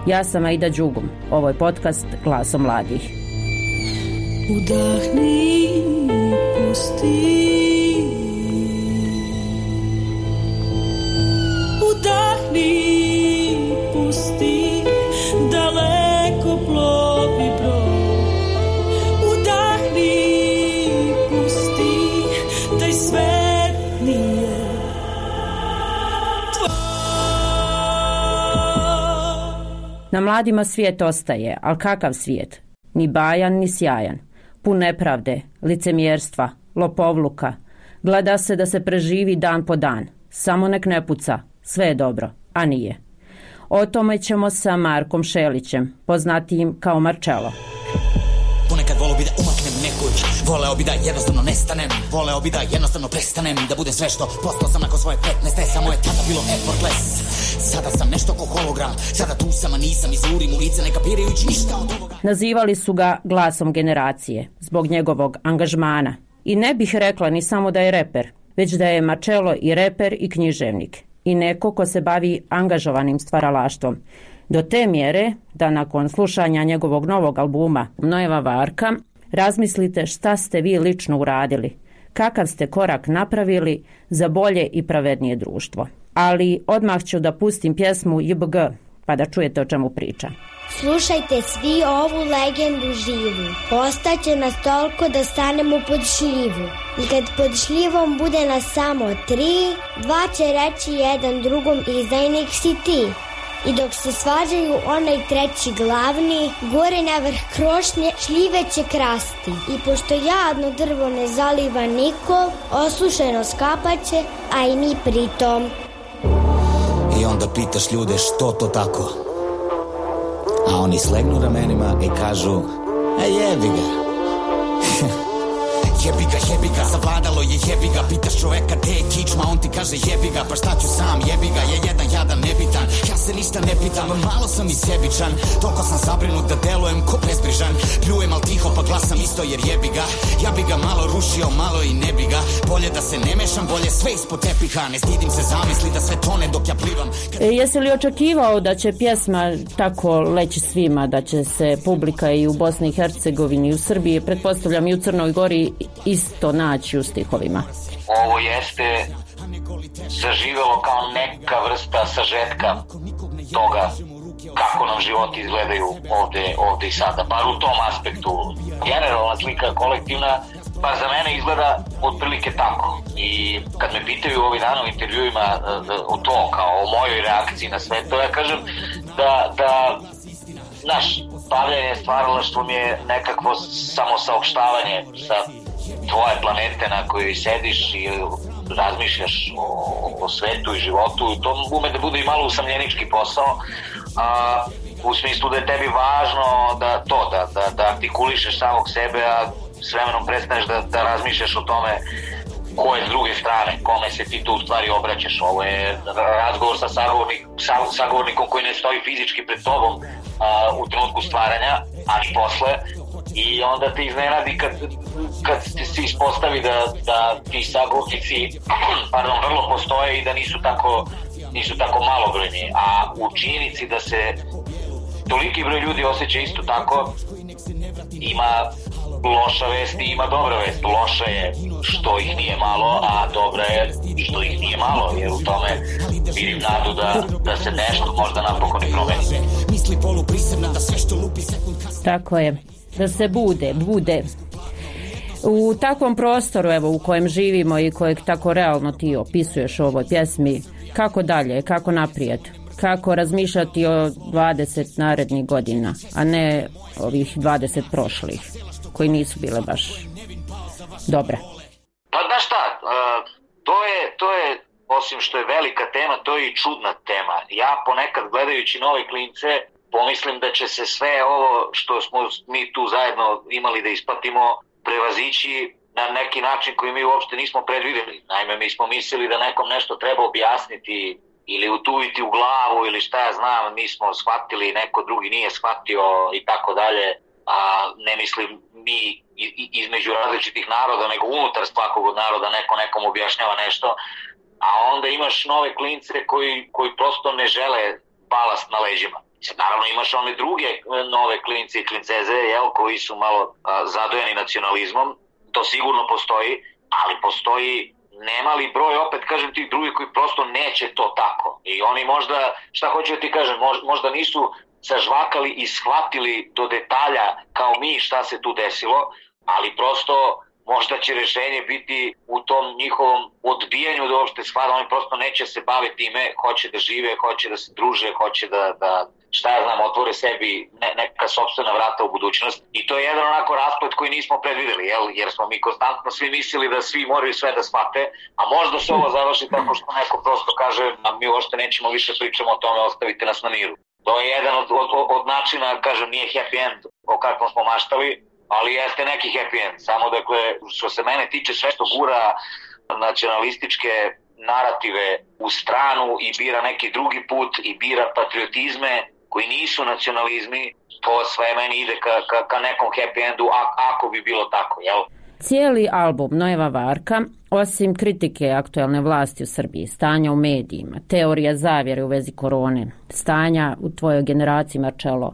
Ja sam Aida Đugum, ovo je podcast Glasom mladih. Udahni, pusti. Udahni, pusti, daleko plovi brod. Udahni, pusti, taj svet nije tvoj. Na mladima svijet ostaje, ali kakav svijet? Ni bajan, ni sjajan. Pun nepravde, licemjerstva, lopovluka. Gleda se da se preživi dan po dan. Samo nek ne puca, sve je dobro, a nije. O tome ćemo sa Markom Šelićem, poznatijim kao Marcello. Ponekad voleo bi da umaknem nekud, voleo bi da jednostavno nestanem, voleo bi da jednostavno prestanem, da budem sve što postao sam nakon svoje 15. Samo je tada bilo effortless. Sada sam nešto ko hologram, sada tu sam, a nisam, izurim u lice, ne kapirajući ništa od ovoga. Nazivali su ga glasom generacije, zbog njegovog angažmana. I ne bih rekla ni samo da je reper, već da je Marcello i reper i književnik. I neko ko se bavi angažovanim stvaralaštvom. Do te mjere da nakon slušanja njegovog novog albuma Nojeva Varka razmislite šta ste vi lično uradili, kakav ste korak napravili za bolje i pravednije društvo. Ali odmah ću da pustim pjesmu JBG, pa da čujete o čemu priča. Slušajte svi ovu legendu živu, postaće nas toliko da stanemo pod šljivu. I kad pod šljivom bude nas samo 3, 2 će reći jedan drugom izdajnik si ti. I dok se svađaju onaj treći glavni, gore na vrh krošnje šljive će krasti. I pošto jadno drvo ne zaliva niko, osušeno skapaće, a i mi pritom. I onda pitaš ljude što to tako, a oni slegnu ramenima i kažu, jebi ga. Jebi ga, zavladalo je jebi ga. Pitaš čoveka gde je kičma, on ti kaže jebi ga. Pa šta ću sam, jebi ga, je jedan jadan nebitan. Ja se ništa ne pitam, malo sam i sebičan. Toliko sam zabrinut da delujem ko bezbrižan. Pljujem al tiho pa glasam isto jer jebi ga. Ja bi ga malo rušio, malo i ne bi ga. Bolje da se ne mešam, bolje sve ispod tepiha. Ne stidim se zamisli da sve tone dok ja plivam. Jesi li očekivao da će pjesma tako leći svima, da će se publika i u Bosni i Hercegovini i u Srbiji, pretpostavljam i u Crnoj Gori, isto naći u stihovima? Ovo jeste zaživelo kao neka vrsta sažetka toga kako nam životi izgledaju ovde i sada, bar u tom aspektu. Generalna slika kolektivna, pa za mene izgleda otprilike tako. I kad me pitaju ovih dana u intervjuima o to, kao o mojoj reakciji na sve to, ja kažem da naš bavljanje stvaralaštvom je nekakvo samosaopštavanje sa tvoje planete na kojoj sediš i razmišljaš o svetu i životu. To ume da bude i malo usamljenički posao, u smislu da je tebi važno da artikulišeš samog sebe, a s vremenom prestaneš da razmišljaš o tome ko je s druge strane, kome se ti tu u stvari obraćaš. Ovo je razgovor sa sagovornikom koji ne stoji fizički pred tobom u trenutku stvaranja, ali posle. I onda te iznenadi kad se ispostavi da ti sagovornici vrlo postoje i da nisu tako malobrojni. A u činjenici da se toliki broj ljudi osjeća isto tako, ima loša vest i ima dobra vest. Loša je što ih nije malo, a dobra je što ih nije malo, jer u tome vidim nadu da se nešto možda napokon i promeni. Tako je. Da se bude. U takvom prostoru, evo, u kojem živimo i kojeg tako realno ti opisuješ u ovoj pjesmi, kako dalje, kako naprijed, kako razmišljati o 20 narednih godina, a ne ovih 20 prošlih, koji nisu bile baš dobre. Pa znaš šta, to je, osim što je velika tema, to je i čudna tema. Ja ponekad gledajući nove klince, pomislim da će se sve ovo što smo mi tu zajedno imali da isplatimo prevazići na neki način koji mi uopšte nismo predvideli. Naime, mi smo mislili da nekom nešto treba objasniti ili utuviti u glavu ili šta ja znam, mi smo shvatili, neko drugi nije shvatio i tako dalje, a ne mislim mi između različitih naroda, nego unutar svakog od naroda neko nekom objašnjava nešto, a onda imaš nove klince koji prosto ne žele balast na leđima. Naravno imaš one druge nove klince i klinceze, koji su malo zadojeni nacionalizmom, to sigurno postoji, ali postoji nemali broj, opet kažem, tih drugih koji prosto neće to tako. I oni možda, šta hoću da ti kažem, možda nisu sažvakali i shvatili do detalja kao mi šta se tu desilo, ali prosto možda će rešenje biti u tom njihovom odbijanju da uopšte shvata, oni prosto neće se baviti time, hoće da žive, hoće da se druže, hoće da šta ja znam, otvore sebi neka sopstvena vrata u budućnost. I to je jedan onako rasplet koji nismo predvideli, jer smo mi konstantno svi mislili da svi moraju sve da shvate, a možda se ovo završi tako što neko prosto kaže, a mi uopšte nećemo više pričamo o tome, ostavite nas na miru. To je jedan od načina, kažem, nije happy end o kakvom smo maštali, ali jeste neki happy end. Samo dakle, što se mene tiče, sve što gura nacionalističke narative u stranu i bira neki drugi put i bira patriotizme koji nisu nacionalizmi, to sve meni ide ka nekom happy endu, ako bi bilo tako, jel? Cijeli album Nojeva Varka, osim kritike aktuelne vlasti u Srbiji, stanja u medijima, teorija zavjere u vezi korone, stanja u tvojoj generaciji, Marcello,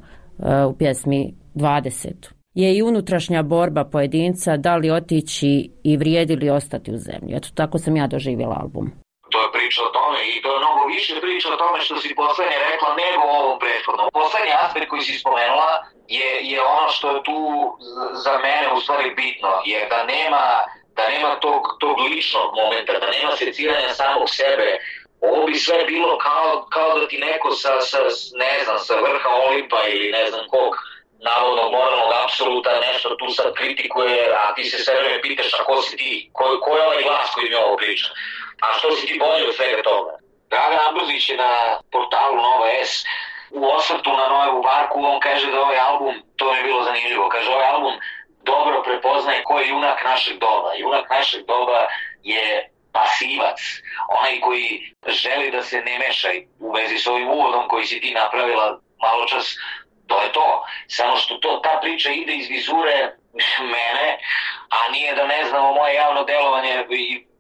u pjesmi 20, je i unutrašnja borba pojedinca da li otići i vrijedi li ostati u zemlji. Eto, tako sam ja doživjela album. To je priča o tome i to je mnogo više priča o tome što si poslednje rekla nego o ovom prethodnom. Poslednji aspekt koji si spomenula je ono što je tu za mene u stvari bitno, jer da nema tog ličnog momenta, da nema seciranja samog sebe. Ovo bi sve bilo kao da ti neko sa vrha Olimpa ili ne znam kog navodnog moralnog apsoluta nešto tu sad kritikuje, a ti se sve vreme pitaš a ko si ti, ko je ovaj glas koji mi ovo priča, a što si ti bolje od svega toga. Dragan Ambrozić je na portalu Nova S u osvrtu na Nojevu Varku, on kaže da ovaj album, to mi je bilo zanimljivo, kaže ovaj album dobro prepoznaje ko je junak našeg doba. Junak našeg doba je pasivac, onaj koji želi da se ne meša u vezi s ovim uvodom koji si ti napravila malo čas. To je to. Samo što ta priča ide iz vizure mene, a nije da ne znamo moje javno delovanje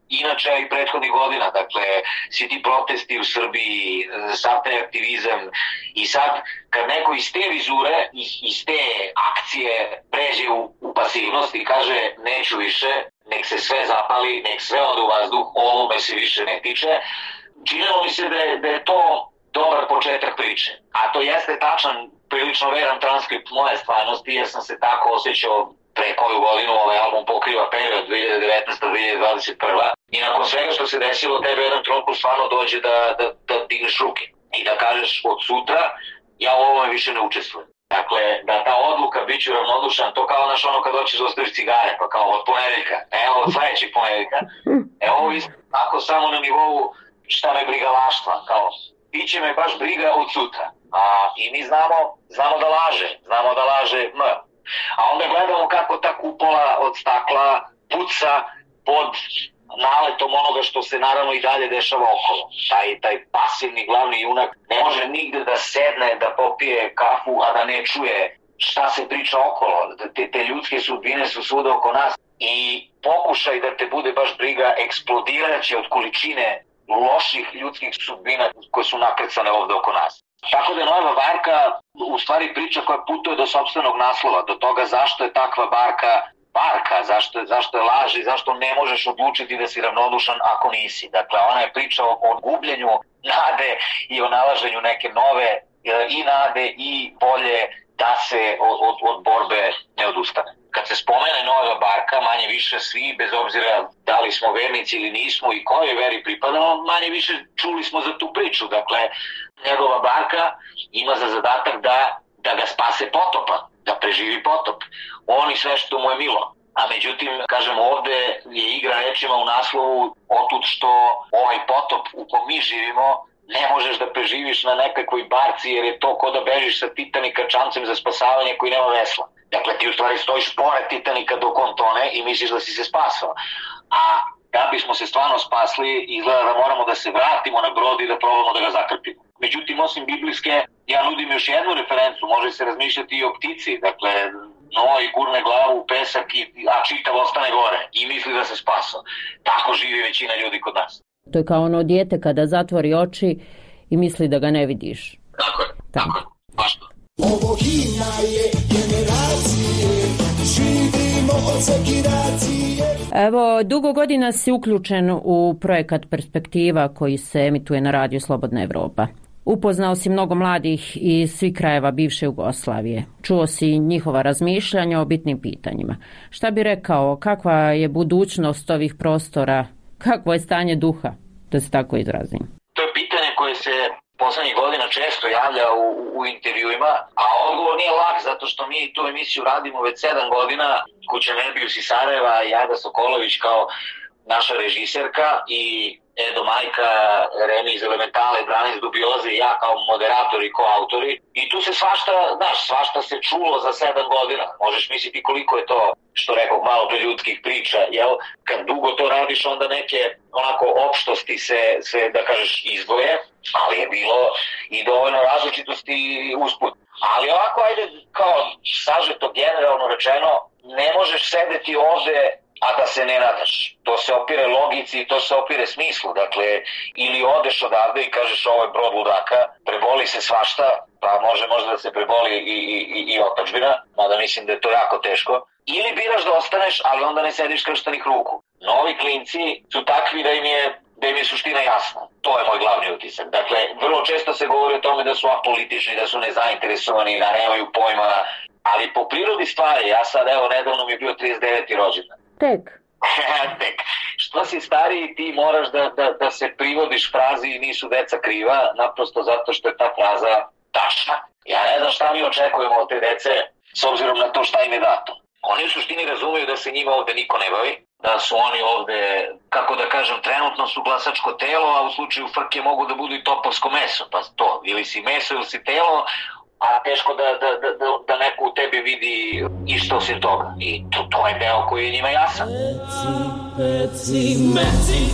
inače i prethodnih godina. Dakle, svi ti protesti u Srbiji, sav taj aktivizam i sad kad neko iz te vizure, iz te akcije pređe u pasivnost i kaže neću više, nek se sve zapali, nek sve ode u vazduh, ovo me se više ne tiče, činilo mi se da je to dobar početak priče. A to jeste tačan, prilično veran transkript moje stvarnosti, jer sam se tako osjećao pre koju godinu. Ovaj album pokriva period 2019-2021. I nakon svega što se desilo, tebe jedan trenutku stvarno dođe da digneš ruke i da kažeš od sutra ja u ovome više ne učestvujem. Dakle, da ta odluka bit ću ravnodušan, to kao naš ono kad hoćeš da ostaviš cigare, pa kao od ponedeljka, evo od sledećeg ponedeljka, evo isto tako samo na nivou šta me briga laštva, kao biće me baš briga od sutra. I mi znamo da laže M. A onda gledamo kako ta kupola od stakla puca pod naletom onoga što se naravno i dalje dešava okolo. Taj pasivni glavni junak ne može nigde da sedne, da popije kafu, a da ne čuje šta se priča okolo. Te ljudske sudbine su svuda oko nas i pokušaj da te bude baš briga eksplodiraće od količine loših ljudskih sudbina koje su nakrcane ovde oko nas. Tako da je Nojeva Varka u stvari priča koja putuje do sopstvenog naslova, do toga zašto je takva barka, zašto je laž i zašto ne možeš odlučiti da si ravnodušan ako nisi. Dakle, ona je priča o gubljenju nade i o nalaženju neke nove i nade i volje da se od borbe ne odustane. Kad se spomene Nojeva Barka, manje više svi, bez obzira da li smo vernici ili nismo i kojoj veri pripadamo, manje više čuli smo za tu priču. Dakle, njegova barka ima za zadatak da ga spase potopa, da preživi potop. On i sve što mu je milo. A međutim, kažem, ovde je igra rečima u naslovu otud što ovaj potop u kom mi živimo ne možeš da preživiš na nekakvoj barci jer je to ko da bežiš sa Titanika čamcem za spasavanje koji nema vesla. Dakle, ti u stvari stojiš pored Titanika dok on tone i misliš da si se spasao. A da bismo se stvarno spasli, izgleda da moramo da se vratimo na brod i da probamo da ga zakrpimo. Međutim, osim biblijske, ja nudim još jednu referencu, može se razmišljati i o ptici. Dakle, Noa gurne glavu u pesak, a čitav ostane gore i misli da se spasao. Tako živi većina ljudi kod nas. To je kao ono dijete kada zatvori oči i misli da ga ne vidiš. Tako je, tako je, baš to. Ovo himna je generacije, živimo od sekiracije. Evo, dugo godina si uključen u projekat Perspektiva koji se emituje na radiju Slobodna Evropa. Upoznao si mnogo mladih iz svih krajeva bivše Jugoslavije. Čuo si njihova razmišljanja o bitnim pitanjima. Šta bi rekao, kakva je budućnost ovih prostora, kakvo je stanje duha, da se tako izrazim? To je pitanje koje se poslednjih godina često javlja u intervjuima, a odgovor nije lak zato što mi tu emisiju radimo već 7 godina. Kuća Nerbius iz Sarajeva, Jada Sokolović kao naša režiserka i Edo Majka, Remi iz Elementale, Branis Dubioze i ja kao moderatori i koautori. I tu se svašta se čulo za 7 godina. Možeš misliti koliko je to, što rekao, malo pre ljudskih priča, jel? Kad dugo to radiš, onda neke onako opštosti se da kažeš, izdvoje, ali je bilo i dovoljno različitosti usput. Ali ovako, ajde, kao sažeto generalno rečeno, ne možeš sedeti ovde a da se ne nadaš. To se opire logici i to se opire smislu. Dakle, ili odeš odavde i kažeš ovo je brod ludaka, preboli se svašta, pa može možda da se preboli i otadžbina, mada mislim da je to jako teško. Ili biraš da ostaneš, ali onda ne sediš krštenih ruku. Novi klinci su takvi da im je suština jasna. To je moj glavni utisak. Dakle, vrlo često se govori o tome da su apolitični, da su nezainteresovani, da nemaju pojma, ali po prirodi stvari, ja sad evo nedavno mi je bio 39. rođendan. Tek. Što si stariji, ti moraš da se privodiš frazi nisu deca kriva, naprosto zato što je ta fraza tačna. Ja ne znam šta mi očekujemo od te dece, s obzirom na to šta im je dato. Oni u suštini razumeju da se njima ovde niko ne bavi, da su oni ovde, kako da kažem, trenutno su glasačko telo, a u slučaju frke mogu da budu i topovsko meso, pa to, ili si meso ili si telo, a teško da neko u tebi vidi isto osim toga. I to je deo koji je njima jasan. Meci,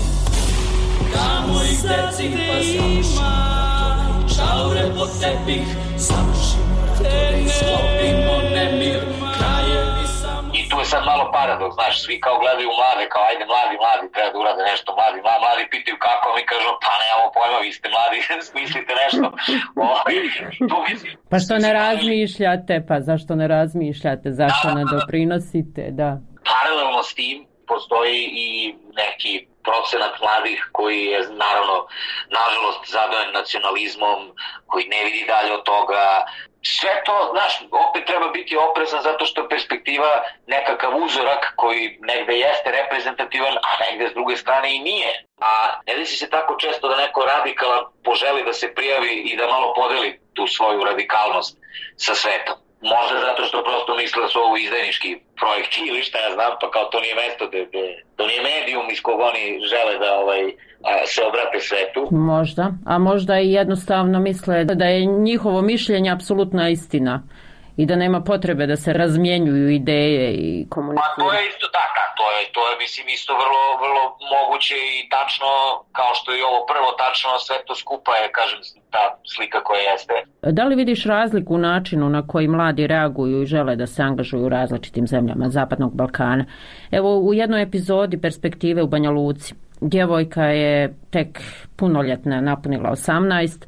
kamo i deci pa završimo šaure po tepih, završimo ratove i sklopimo nemir, krajevi samo... I tu je sad malo paradoks, znaš, svi kao gledaju mlade, kao ajde mladi, treba da urade nešto, mladi pitaju kako, mi kažu, pa nemamo pojma, vi ste mladi, smislite nešto. Pa što ne razmišljate, pa zašto ne razmišljate, zašto ne doprinosite, da. Paralelno s tim postoji i neki procenat mladih koji je naravno, nažalost, zadojen nacionalizmom, koji ne vidi dalje od toga. Sve to, znaš, opet treba biti oprezan zato što je perspektiva nekakav uzorak koji negde jeste reprezentativan, a negde s druge strane i nije. A ne desi se tako često da neko radikalan poželi da se prijavi i da malo podeli tu svoju radikalnost sa svetom. Možda zato što prosto misle da su ovo izdajnički projekti ili šta ja znam, pa kao to nije mesto, to nije medijum iz kog oni žele da se obrate svetu. Možda, a možda i jednostavno misle da je njihovo mišljenje apsolutna istina i da nema potrebe da se razmjenjuju ideje i komuniciraju. Pa to je isto tako, to je mislim isto vrlo moguće i tačno, kao što je ovo prvo tačno, sve to skupa je, kažem, ta slika koja jeste. Da li vidiš razliku u načinu na koji mladi reaguju i žele da se angažuju u različitim zemljama Zapadnog Balkana? Evo, u jednoj epizodi Perspektive u Banja Luci, djevojka je tek punoljetna, napunila 18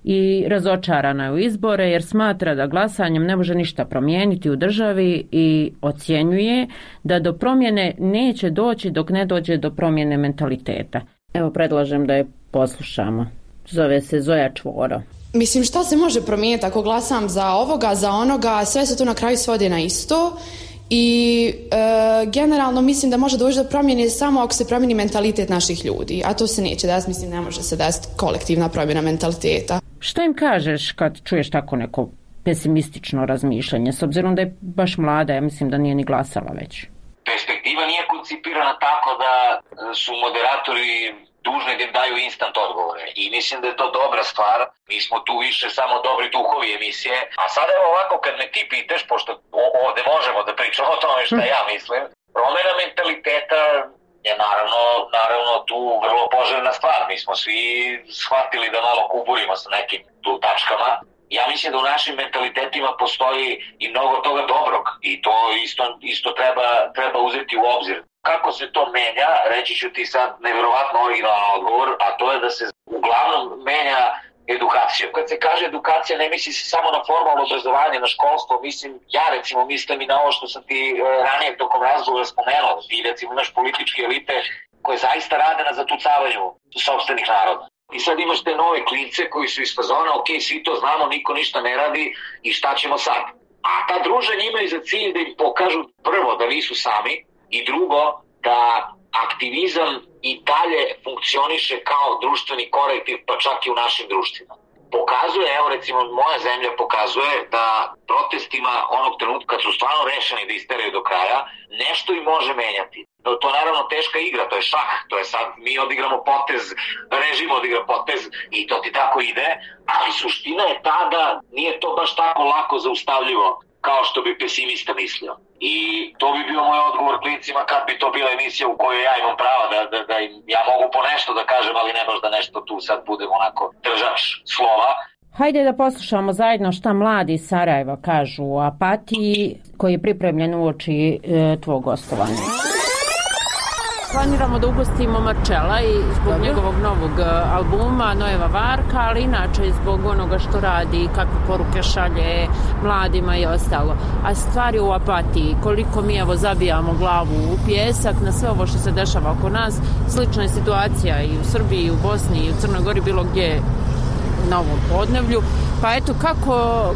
i razočarana je u izbore jer smatra da glasanjem ne može ništa promijeniti u državi i ocjenjuje da do promjene neće doći dok ne dođe do promjene mentaliteta. Evo, predlažem da je poslušamo. Zove se Zoja Čvoro. Mislim, šta se može promijeniti ako glasam za ovoga, za onoga, sve se to na kraju svodi na isto. I generalno mislim da može doći do promjene samo ako se promijeni mentalitet naših ljudi, a to se neće desiti, mislim ne može se desiti kolektivna promjena mentaliteta. Šta im kažeš kad čuješ tako neko pesimistično razmišljanje, s obzirom da je baš mlada, ja mislim da nije ni glasala već? Perspektiva nije koncipirana tako da su moderatori dužni da im daju instant odgovore. I mislim da je to dobra stvar. Mi smo tu više samo dobri duhovi emisije. A sada evo ovako, kad me ti pitaš, pošto ovde možemo da pričamo o tome šta ja mislim, promena mentaliteta je naravno tu vrlo poželjna stvar. Mi smo svi shvatili da malo kuburimo sa nekim tu tačkama. Ja mislim da u našim mentalitetima postoji i mnogo toga dobrog i to isto treba uzeti u obzir. Kako se to menja, reći ću ti sad nevjerovatno originalan odgovor, a to je da se uglavnom menja edukacija. Kad se kaže edukacija, ne misli se samo na formalno obrazovanje, na školstvo, ja mislim i na ovo što sam ti ranije tokom razgovora spomenuo, ti recimo imaš političke elite koje zaista rade na zatucavanju sopstvenih naroda. I sad imaš te nove klince koji su iz fazona, ok, svi to znamo, niko ništa ne radi i šta ćemo sad? A ta druženja imaju za cilj da im pokažu prvo da nisu sami i drugo da aktivizam i dalje funkcioniše kao društveni korektiv, pa čak i u našim društvima. Pokazuje, evo recimo moja zemlja pokazuje da protestima onog trenutka kad su stvarno rešeni da isteraju do kraja, nešto im može menjati. To je naravno teška igra, to je šah, to je sad mi odigramo potez, režim odigra potez i to ti tako ide, ali suština je ta da nije to baš tako lako zaustavljivo kao što bi pesimista mislio. I to bi bio moj odgovor klincima kad bi to bila emisija u kojoj ja imam prava da ja mogu po nešto da kažem, ali ne možda nešto tu sad budem onako držač slova. Hajde da poslušamo zajedno šta mladi iz Sarajeva kažu o apatiji koji je pripremljen uoči tvog gostovanja. Planiramo da ugostimo Marčela i zbog njegovog novog albuma Nojeva Varka, ali inače i zbog onoga što radi, kakve poruke šalje mladima i ostalo. A stvar je u apatiji, koliko mi evo zabijamo glavu u pijesak na sve ovo što se dešava oko nas. Slična je situacija i u Srbiji, i u Bosni, i u Crnoj Gori, bilo gdje na ovom podneblju. Pa eto,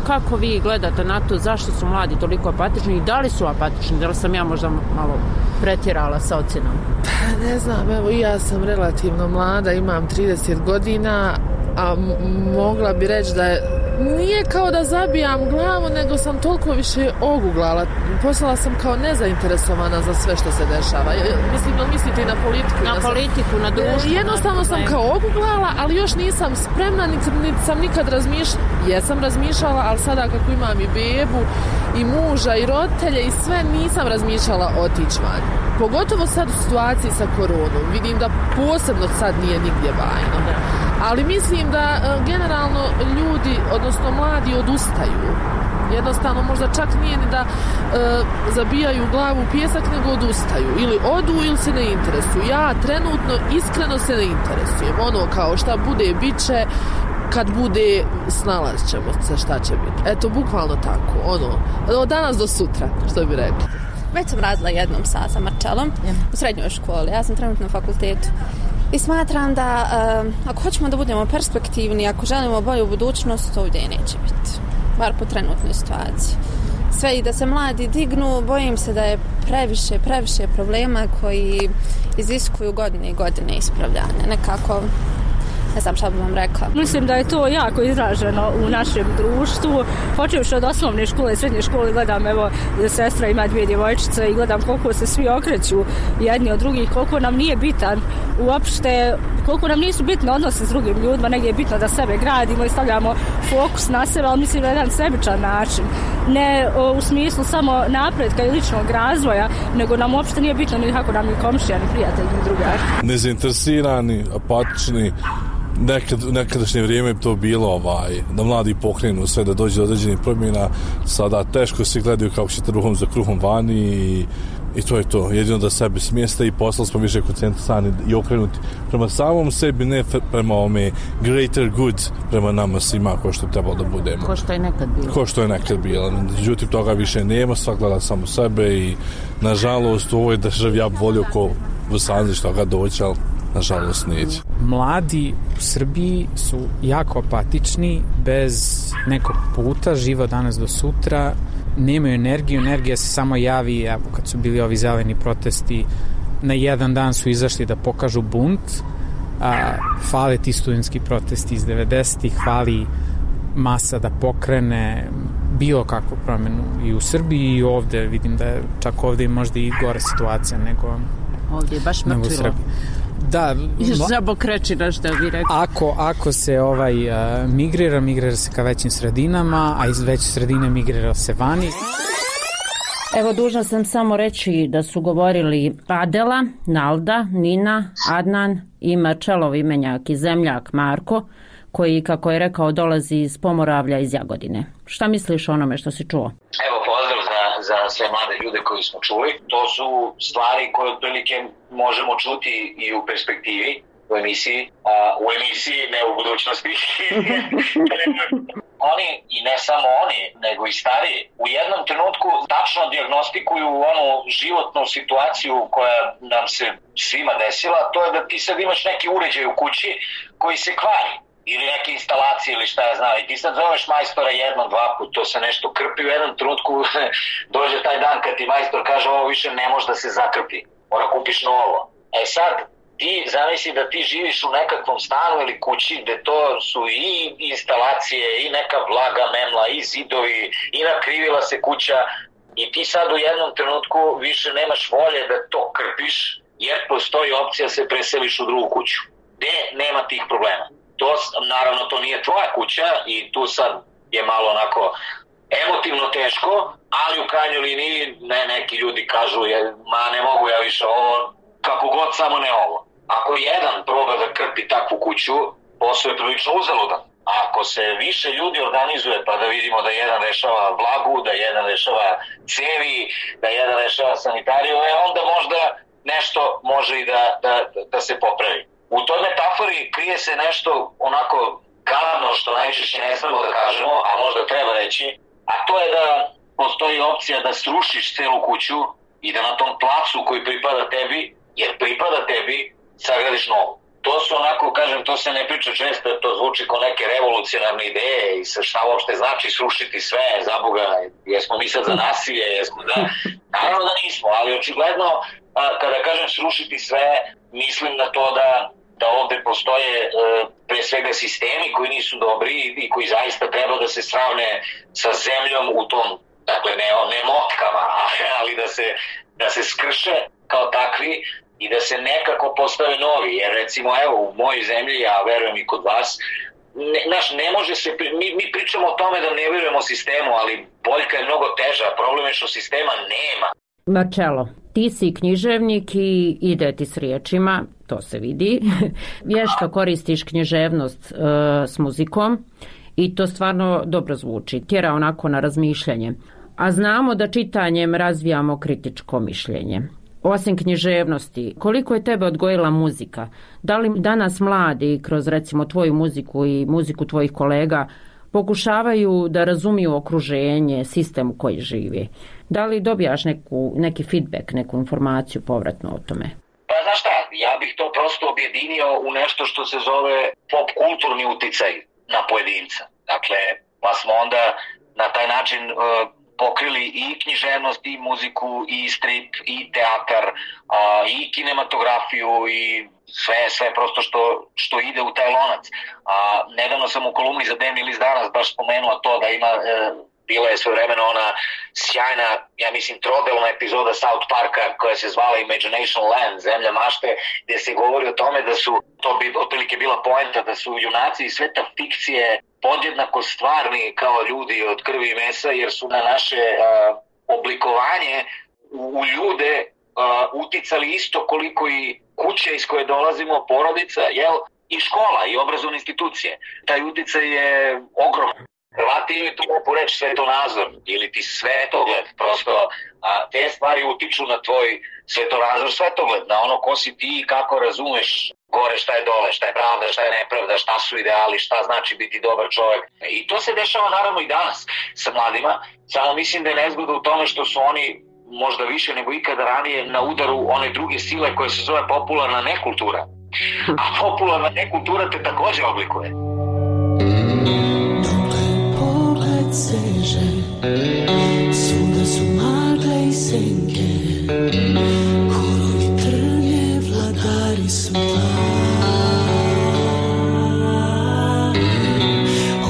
kako vi gledate na to, zašto su mladi toliko apatični i da li su apatični, da li sam ja možda malo pretjerala sa ocjenom? Ne znam, evo i ja sam relativno mlada, imam 30 godina, a mogla bi reći da nije kao da zabijam glavu, nego sam toliko više oguglala. Postala sam kao nezainteresovana za sve što se dešava. Mislim, da mislite i na politiku? Na politiku, na društvo. Jednostavno sam kao oguglala, ali još nisam spremna, niti sam nikad razmišljala. Jesam razmišljala, ali sada kako imam i bebu, i muža, i roditelje, i sve, nisam razmišljala otići van. Pogotovo sad u situaciji sa koronom. Vidim da posebno sad nije nigdje bajno. Ali mislim da generalno ljudi, odnosno mladi, odustaju. Jednostavno možda čak nije ni da zabijaju glavu u pijesak, nego odustaju. Ili odu ili se ne interesuju. Ja trenutno iskreno se ne interesujem. Ono kao šta bude, bit će, kad bude, snalazit ćemo se šta će biti. Eto, bukvalno tako. Od danas do sutra, što bi rekli. Već sam radila jednom sa Marčelom u srednjoj školi. Ja sam trenutno na fakultetu. I smatram da ako hoćemo da budemo perspektivni, ako želimo bolju budućnost, ovdje neće biti. Bar po trenutnoj situaciji. Sve i da se mladi dignu, bojim se da je previše problema koji iziskuju godine i godine ispravljanja. Nekako, ne znam šta bih vam rekla. Mislim da je to jako izraženo u našem društvu. Počevši od osnovne škole i srednje škole, gledam, evo, sestra ima 2 djevojčice i gledam koliko se svi okreću jedni od drugih, koliko nam nije bitan uopšte, koliko nam nisu bitne odnose s drugim ljudima, negdje je bitno da sebe gradimo i stavljamo fokus na sebe, ali mislim da je jedan sebičan način. Ne u smislu samo napretka i ličnog razvoja, nego nam uopšte nije bitno ni kako nam ni komšija, ni prijatelj, ni drugar. Nezainteresirani, apatični. Nekadašnje vrijeme je to bilo da mladi pokrenu sve, da dođe do određenih promjena. Sada teško se gledaju kako ćete ruhom za kruhom vani i to je to. Jedino da sebe smjeste i postali smo više koncentrisani i okrenuti prema samom sebi, ne prema ome greater good, prema nama svima ko što je trebalo da budemo. Ko što je nekad bilo. Međutim, toga više nema, svak gleda samo sebe i nažalost u ovoj državi ja bi volio ko u Sanzi što ga doći, ali nažalost neće. Mladi u Srbiji su jako apatični, bez nekog puta, živo danas do sutra, nemaju energiju, energija se samo javi, evo kad su bili ovi zeleni protesti, na jedan dan su izašli da pokažu bunt, fale ti studentski protesti iz 90-ih, fali masa da pokrene bilo kakvu promjenu i u Srbiji i ovdje, vidim da je čak ovdje možda i gore situacija nego ovdje je baš mrtvilo. Da, žabokrečiraš da bi rekao. Ako se migrira se ka većim sredinama, a iz veće sredine migrira se vani. Evo, dužna sam samo reći da su govorili Adela, Nalda, Nina, Adnan i Marčelov imenjak i zemljak Marko, koji, kako je rekao, dolazi iz Pomoravlja iz Jagodine. Šta misliš o onome što si čuo? Evo, pozdrav za sve mlade ljude koji smo čuli. To su stvari koje otprilike možemo čuti i u perspektivi, u emisiji, ne u budućnosti. Oni, i ne samo oni, nego i stariji, u jednom trenutku tačno dijagnostikuju onu životnu situaciju koja nam se svima desila, to je da ti sad imaš neki uređaj u kući koji se kvari, ili neke instalacije ili šta ja znam, i ti sad zoveš majstora jednom, dva put, to se nešto krpi, u jednom trenutku dođe taj dan kad ti majstor kaže ovo više ne može da se zakrpi, mora kupiš novo. E sad, ti zamisli da ti živiš u nekakvom stanu ili kući gde to su i instalacije, i neka vlaga memla, i zidovi, i nakrivila se kuća, i ti sad u jednom trenutku više nemaš volje da to krpiš, jer postoji opcija da se preseliš u drugu kuću, gde nema tih problema. Naravno, to nije tvoja kuća i tu sad je malo onako emotivno teško, ali u krajnjoj liniji neki ljudi kažu ne mogu ja više ovo, kako god, samo ne ovo. Ako jedan proba da krpi takvu kuću, posao je prilično uzaludan. Ako se više ljudi organizuje, pa da vidimo da jedan rešava vlagu, da jedan rešava cevi, da jedan rešava sanitariju, onda možda nešto može i da se popravi. U toj metafori krije se nešto onako gadno što najčešće ne smemo da kažemo, a možda treba reći, a to je da postoji opcija da srušiš celu kuću i da na tom placu koji pripada tebi, jer pripada tebi, sagradiš novu. To su onako, kažem, to se ne priča često, to zvuči kao neke revolucionarne ideje i šta uopšte znači srušiti sve, zaboga, jesmo mi sad za nasilje, naravno da nismo, ali očigledno, kada kažem srušiti sve, mislim na to da ovde postoje pre svega sistemi koji nisu dobri i koji zaista treba da se sravne sa zemljom u tom, dakle ne motkama, ali da se skrše kao takvi i da se nekako postave novi, jer recimo evo u mojoj zemlji, ja verujem i kod vas, ne može se, mi pričamo o tome da ne verujemo sistemu, ali boljka je mnogo teža, problem je što sistema nema. Marčelo, ti si književnik i ide ti s riječima, to se vidi. Vješto koristiš književnost s muzikom i to stvarno dobro zvuči, tjera onako na razmišljanje. A znamo da čitanjem razvijamo kritičko mišljenje. Osim književnosti, koliko je tebe odgojila muzika? Da li danas mladi kroz recimo tvoju muziku i muziku tvojih kolega pokušavaju da razumiju okruženje, sistem u koji živi? Da li dobijaš neki feedback, neku informaciju povratno o tome? Pa znaš šta, ja bih to prosto objedinio u nešto što se zove pop kulturni uticaj na pojedinca. Dakle, pa smo onda na taj način pokrili i književnost, i muziku, i strip, i teatar, i kinematografiju, i sve prosto što ide u taj lonac. Nedavno sam u kolumni za Dnevni list danas baš spomenuo to da ima, bila je svojevremeno ona sjajna, ja mislim, trodelna epizoda South Parka koja se zvala Imagination Land, Zemlja mašte, gdje se govori o tome da su, to bi otprilike bila poenta, da su junaci i sveta fikcije podjednako stvarni kao ljudi od krvi i mesa, jer su na naše oblikovanje u ljude uticali isto koliko i kuće iz koje dolazimo, porodica, i škola i obrazovne institucije. Taj uticaj je ogroman. Hrvati imaju tu lepu reč svetonazor ili ti svetogled, prosto te stvari utiču na tvoj svetonazor, svetogled, na ono ko si ti i kako razumeš gore šta je dole, šta je pravda, šta je nepravda, šta su ideali, šta znači biti dobar čovjek. I to se dešava naravno i danas sa mladima, samo mislim da je nezgoda u tome što su oni možda više nego ikada ranije na udaru one druge sile koje se zove popularna nekultura. A popularna nekultura te također oblikuje. Seže, svuda su magle i senke, korovi trnje, vladari su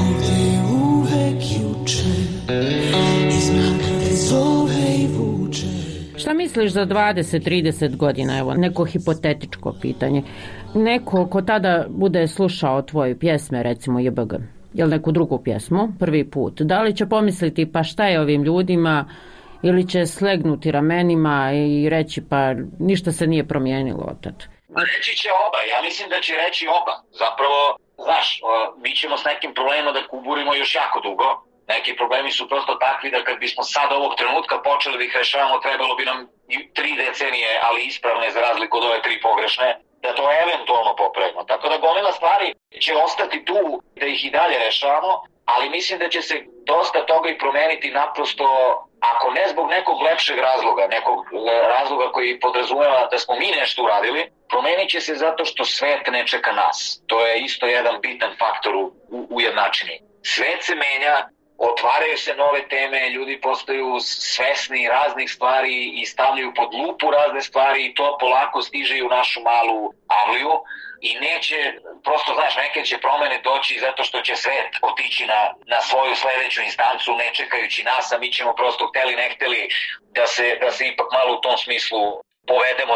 ovdje je uvek juče, iz mraka te zove i vuče. Šta Šta misliš za 20-30 godina, evo, neko hipotetičko pitanje? Neko ko tada bude slušao tvoje pjesme, recimo JBG, ili neku drugu pjesmu, prvi put, da li će pomisliti pa šta je ovim ljudima, ili će slegnuti ramenima i reći pa ništa se nije promijenilo od tad? Reći će oba, ja mislim da će reći oba. Zapravo, znaš, mi ćemo s nekim problemima da kuburimo još jako dugo. Neki problemi su prosto takvi da kad bismo sad ovog trenutka počeli da ih rešavamo, trebalo bi nam 3 decenije, ali ispravne za razliku od ove 3 pogrešne, da to eventualno popravimo. Tako da gomila stvari će ostati tu da ih i dalje rešavamo, ali mislim da će se dosta toga i promeniti naprosto, ako ne zbog nekog lepšeg razloga, nekog razloga koji podrazumeva da smo mi nešto uradili, promenit će se zato što svet ne čeka nas. To je isto jedan bitan faktor u jednačini. Svet se menja, otvaraju se nove teme, ljudi postaju svesni raznih stvari i stavljaju pod lupu razne stvari i to polako stiže i u našu malu avliju i neće, prosto znaš, neke će promene doći zato što će svet otići na svoju sledeću instancu ne čekajući nas, a mi ćemo prosto hteli ne hteli da se ipak malo u tom smislu povedemo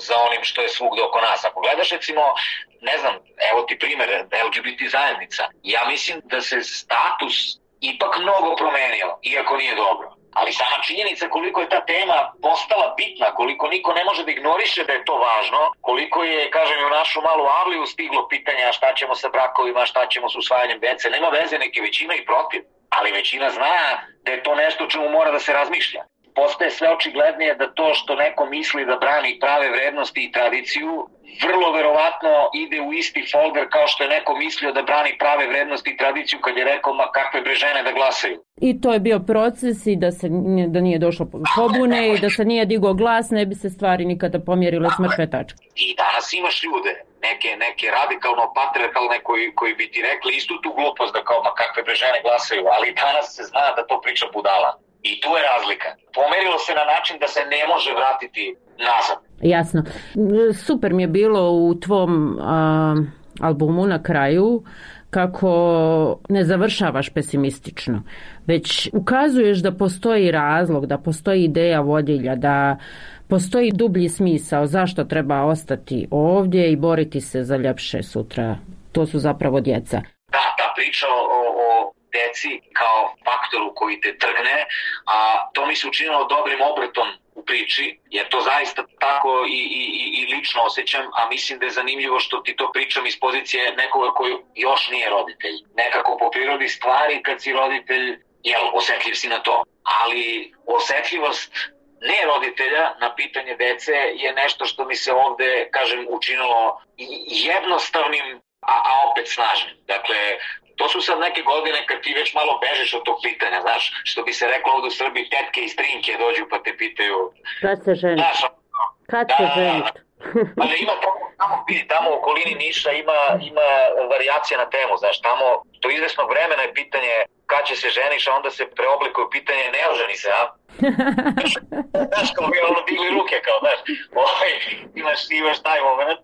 za onim što je svugde oko nas. Ako gledaš recimo, ne znam, evo ti primjer, LGBT zajednica, ja mislim da se status ipak mnogo promenio, iako nije dobro. Ali sama činjenica koliko je ta tema postala bitna, koliko niko ne može da ignoriše da je to važno, koliko je, kažem, u našu malu avliju stiglo pitanja šta ćemo sa brakovima, šta ćemo s usvajanjem dece, nema veze, neke većina i protiv, ali većina zna da je to nešto čemu mora da se razmišlja. Postaje sve očiglednije da to što neko misli da brani prave vrednosti i tradiciju, vrlo verovatno ide u isti folder kao što je neko mislio da brani prave vrednosti i tradiciju kad je rekao ma kakve bre žene da glasaju. I to je bio proces i da nije došlo pobune i da se nije digao glas, ne bi se stvari nikada pomjerile s mrtve tačke. I danas imaš ljude, neke radikalno patriarhalne koji bi ti rekli istu tu glupost da kao ma kakve bre žene glasaju, ali danas se zna da to priča budala. I tu je razlika. Pomerilo se na način da se ne može vratiti nazad. Jasno. Super mi je bilo u tvom albumu na kraju kako ne završavaš pesimistično, već ukazuješ da postoji razlog, da postoji ideja vodilja, da postoji dublji smisao zašto treba ostati ovdje i boriti se za ljepše sutra. To su zapravo djeca. Da, ta priča o deci kao faktoru koji te trgne, a to mi se učinilo dobrim obratom u priči, jer to zaista tako i lično osjećam, a mislim da je zanimljivo što ti to pričam iz pozicije nekoga koji još nije roditelj. Nekako po prirodi stvari kad si roditelj, osjetljiv si na to, ali osjetljivost ne roditelja na pitanje dece je nešto što mi se ovde, kažem, učinilo jednostavnim, a opet snažnim. Dakle, to su sad neke godine kad ti već malo bežeš od tog pitanja, znaš, što bi se reklo ovdje u Srbiji, tetke i strinke dođu pa te pitaju... Kad se ženiti? Kad se ženiti? Ali ima tamo u okolini Niša ima varijacija na temu, znaš, tamo do izvesnog vremena je pitanje kad će se ženiš, a onda se preoblikuje pitanje ne oženi se, a? Znaš, kao mi ono digli ruke, kao, znaš, imaš taj moment.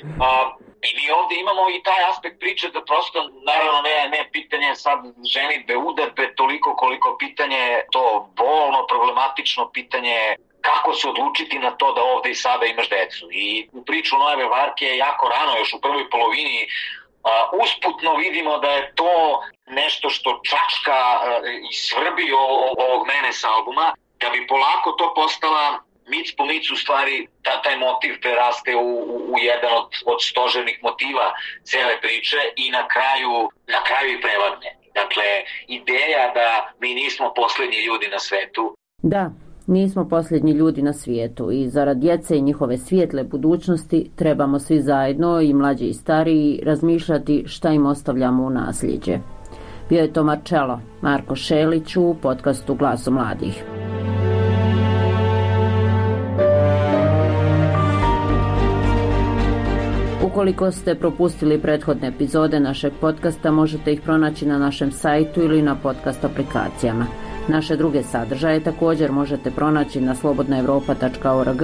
I mi ovdje imamo i taj aspekt priče da prosto, naravno ne pitanje sad ženitbe, udarbe, toliko koliko pitanje to bolno, problematično pitanje kako se odlučiti na to da ovdje i sada imaš decu. I u priču Nojeve Varke je jako rano, još u prvoj polovini, usputno vidimo da je to nešto što čačka i svrbi ovog mene sa albuma, da bi polako to postala mic po mic u stvari taj motiv preraste u jedan od stožernih motiva cele priče i na kraju i prevadne. Dakle, ideja da mi nismo posljednji ljudi na svetu. Da, nismo posljednji ljudi na svijetu i zarad djece i njihove svijetle budućnosti trebamo svi zajedno, i mlađi i stariji, razmišljati šta im ostavljamo u nasljeđe. Bio je to Marko Šelić u podcastu Glasom mladih. Ukoliko ste propustili prethodne epizode našeg podcasta, možete ih pronaći na našem sajtu ili na podcast aplikacijama. Naše druge sadržaje također možete pronaći na slobodnaevropa.org,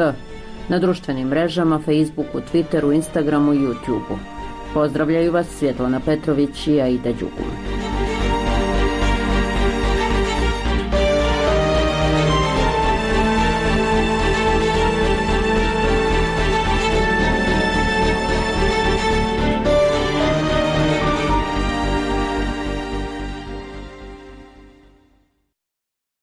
na društvenim mrežama, Facebooku, Twitteru, Instagramu i YouTubeu. Pozdravljaju vas Svjetlana Petrović i Aida Đugum.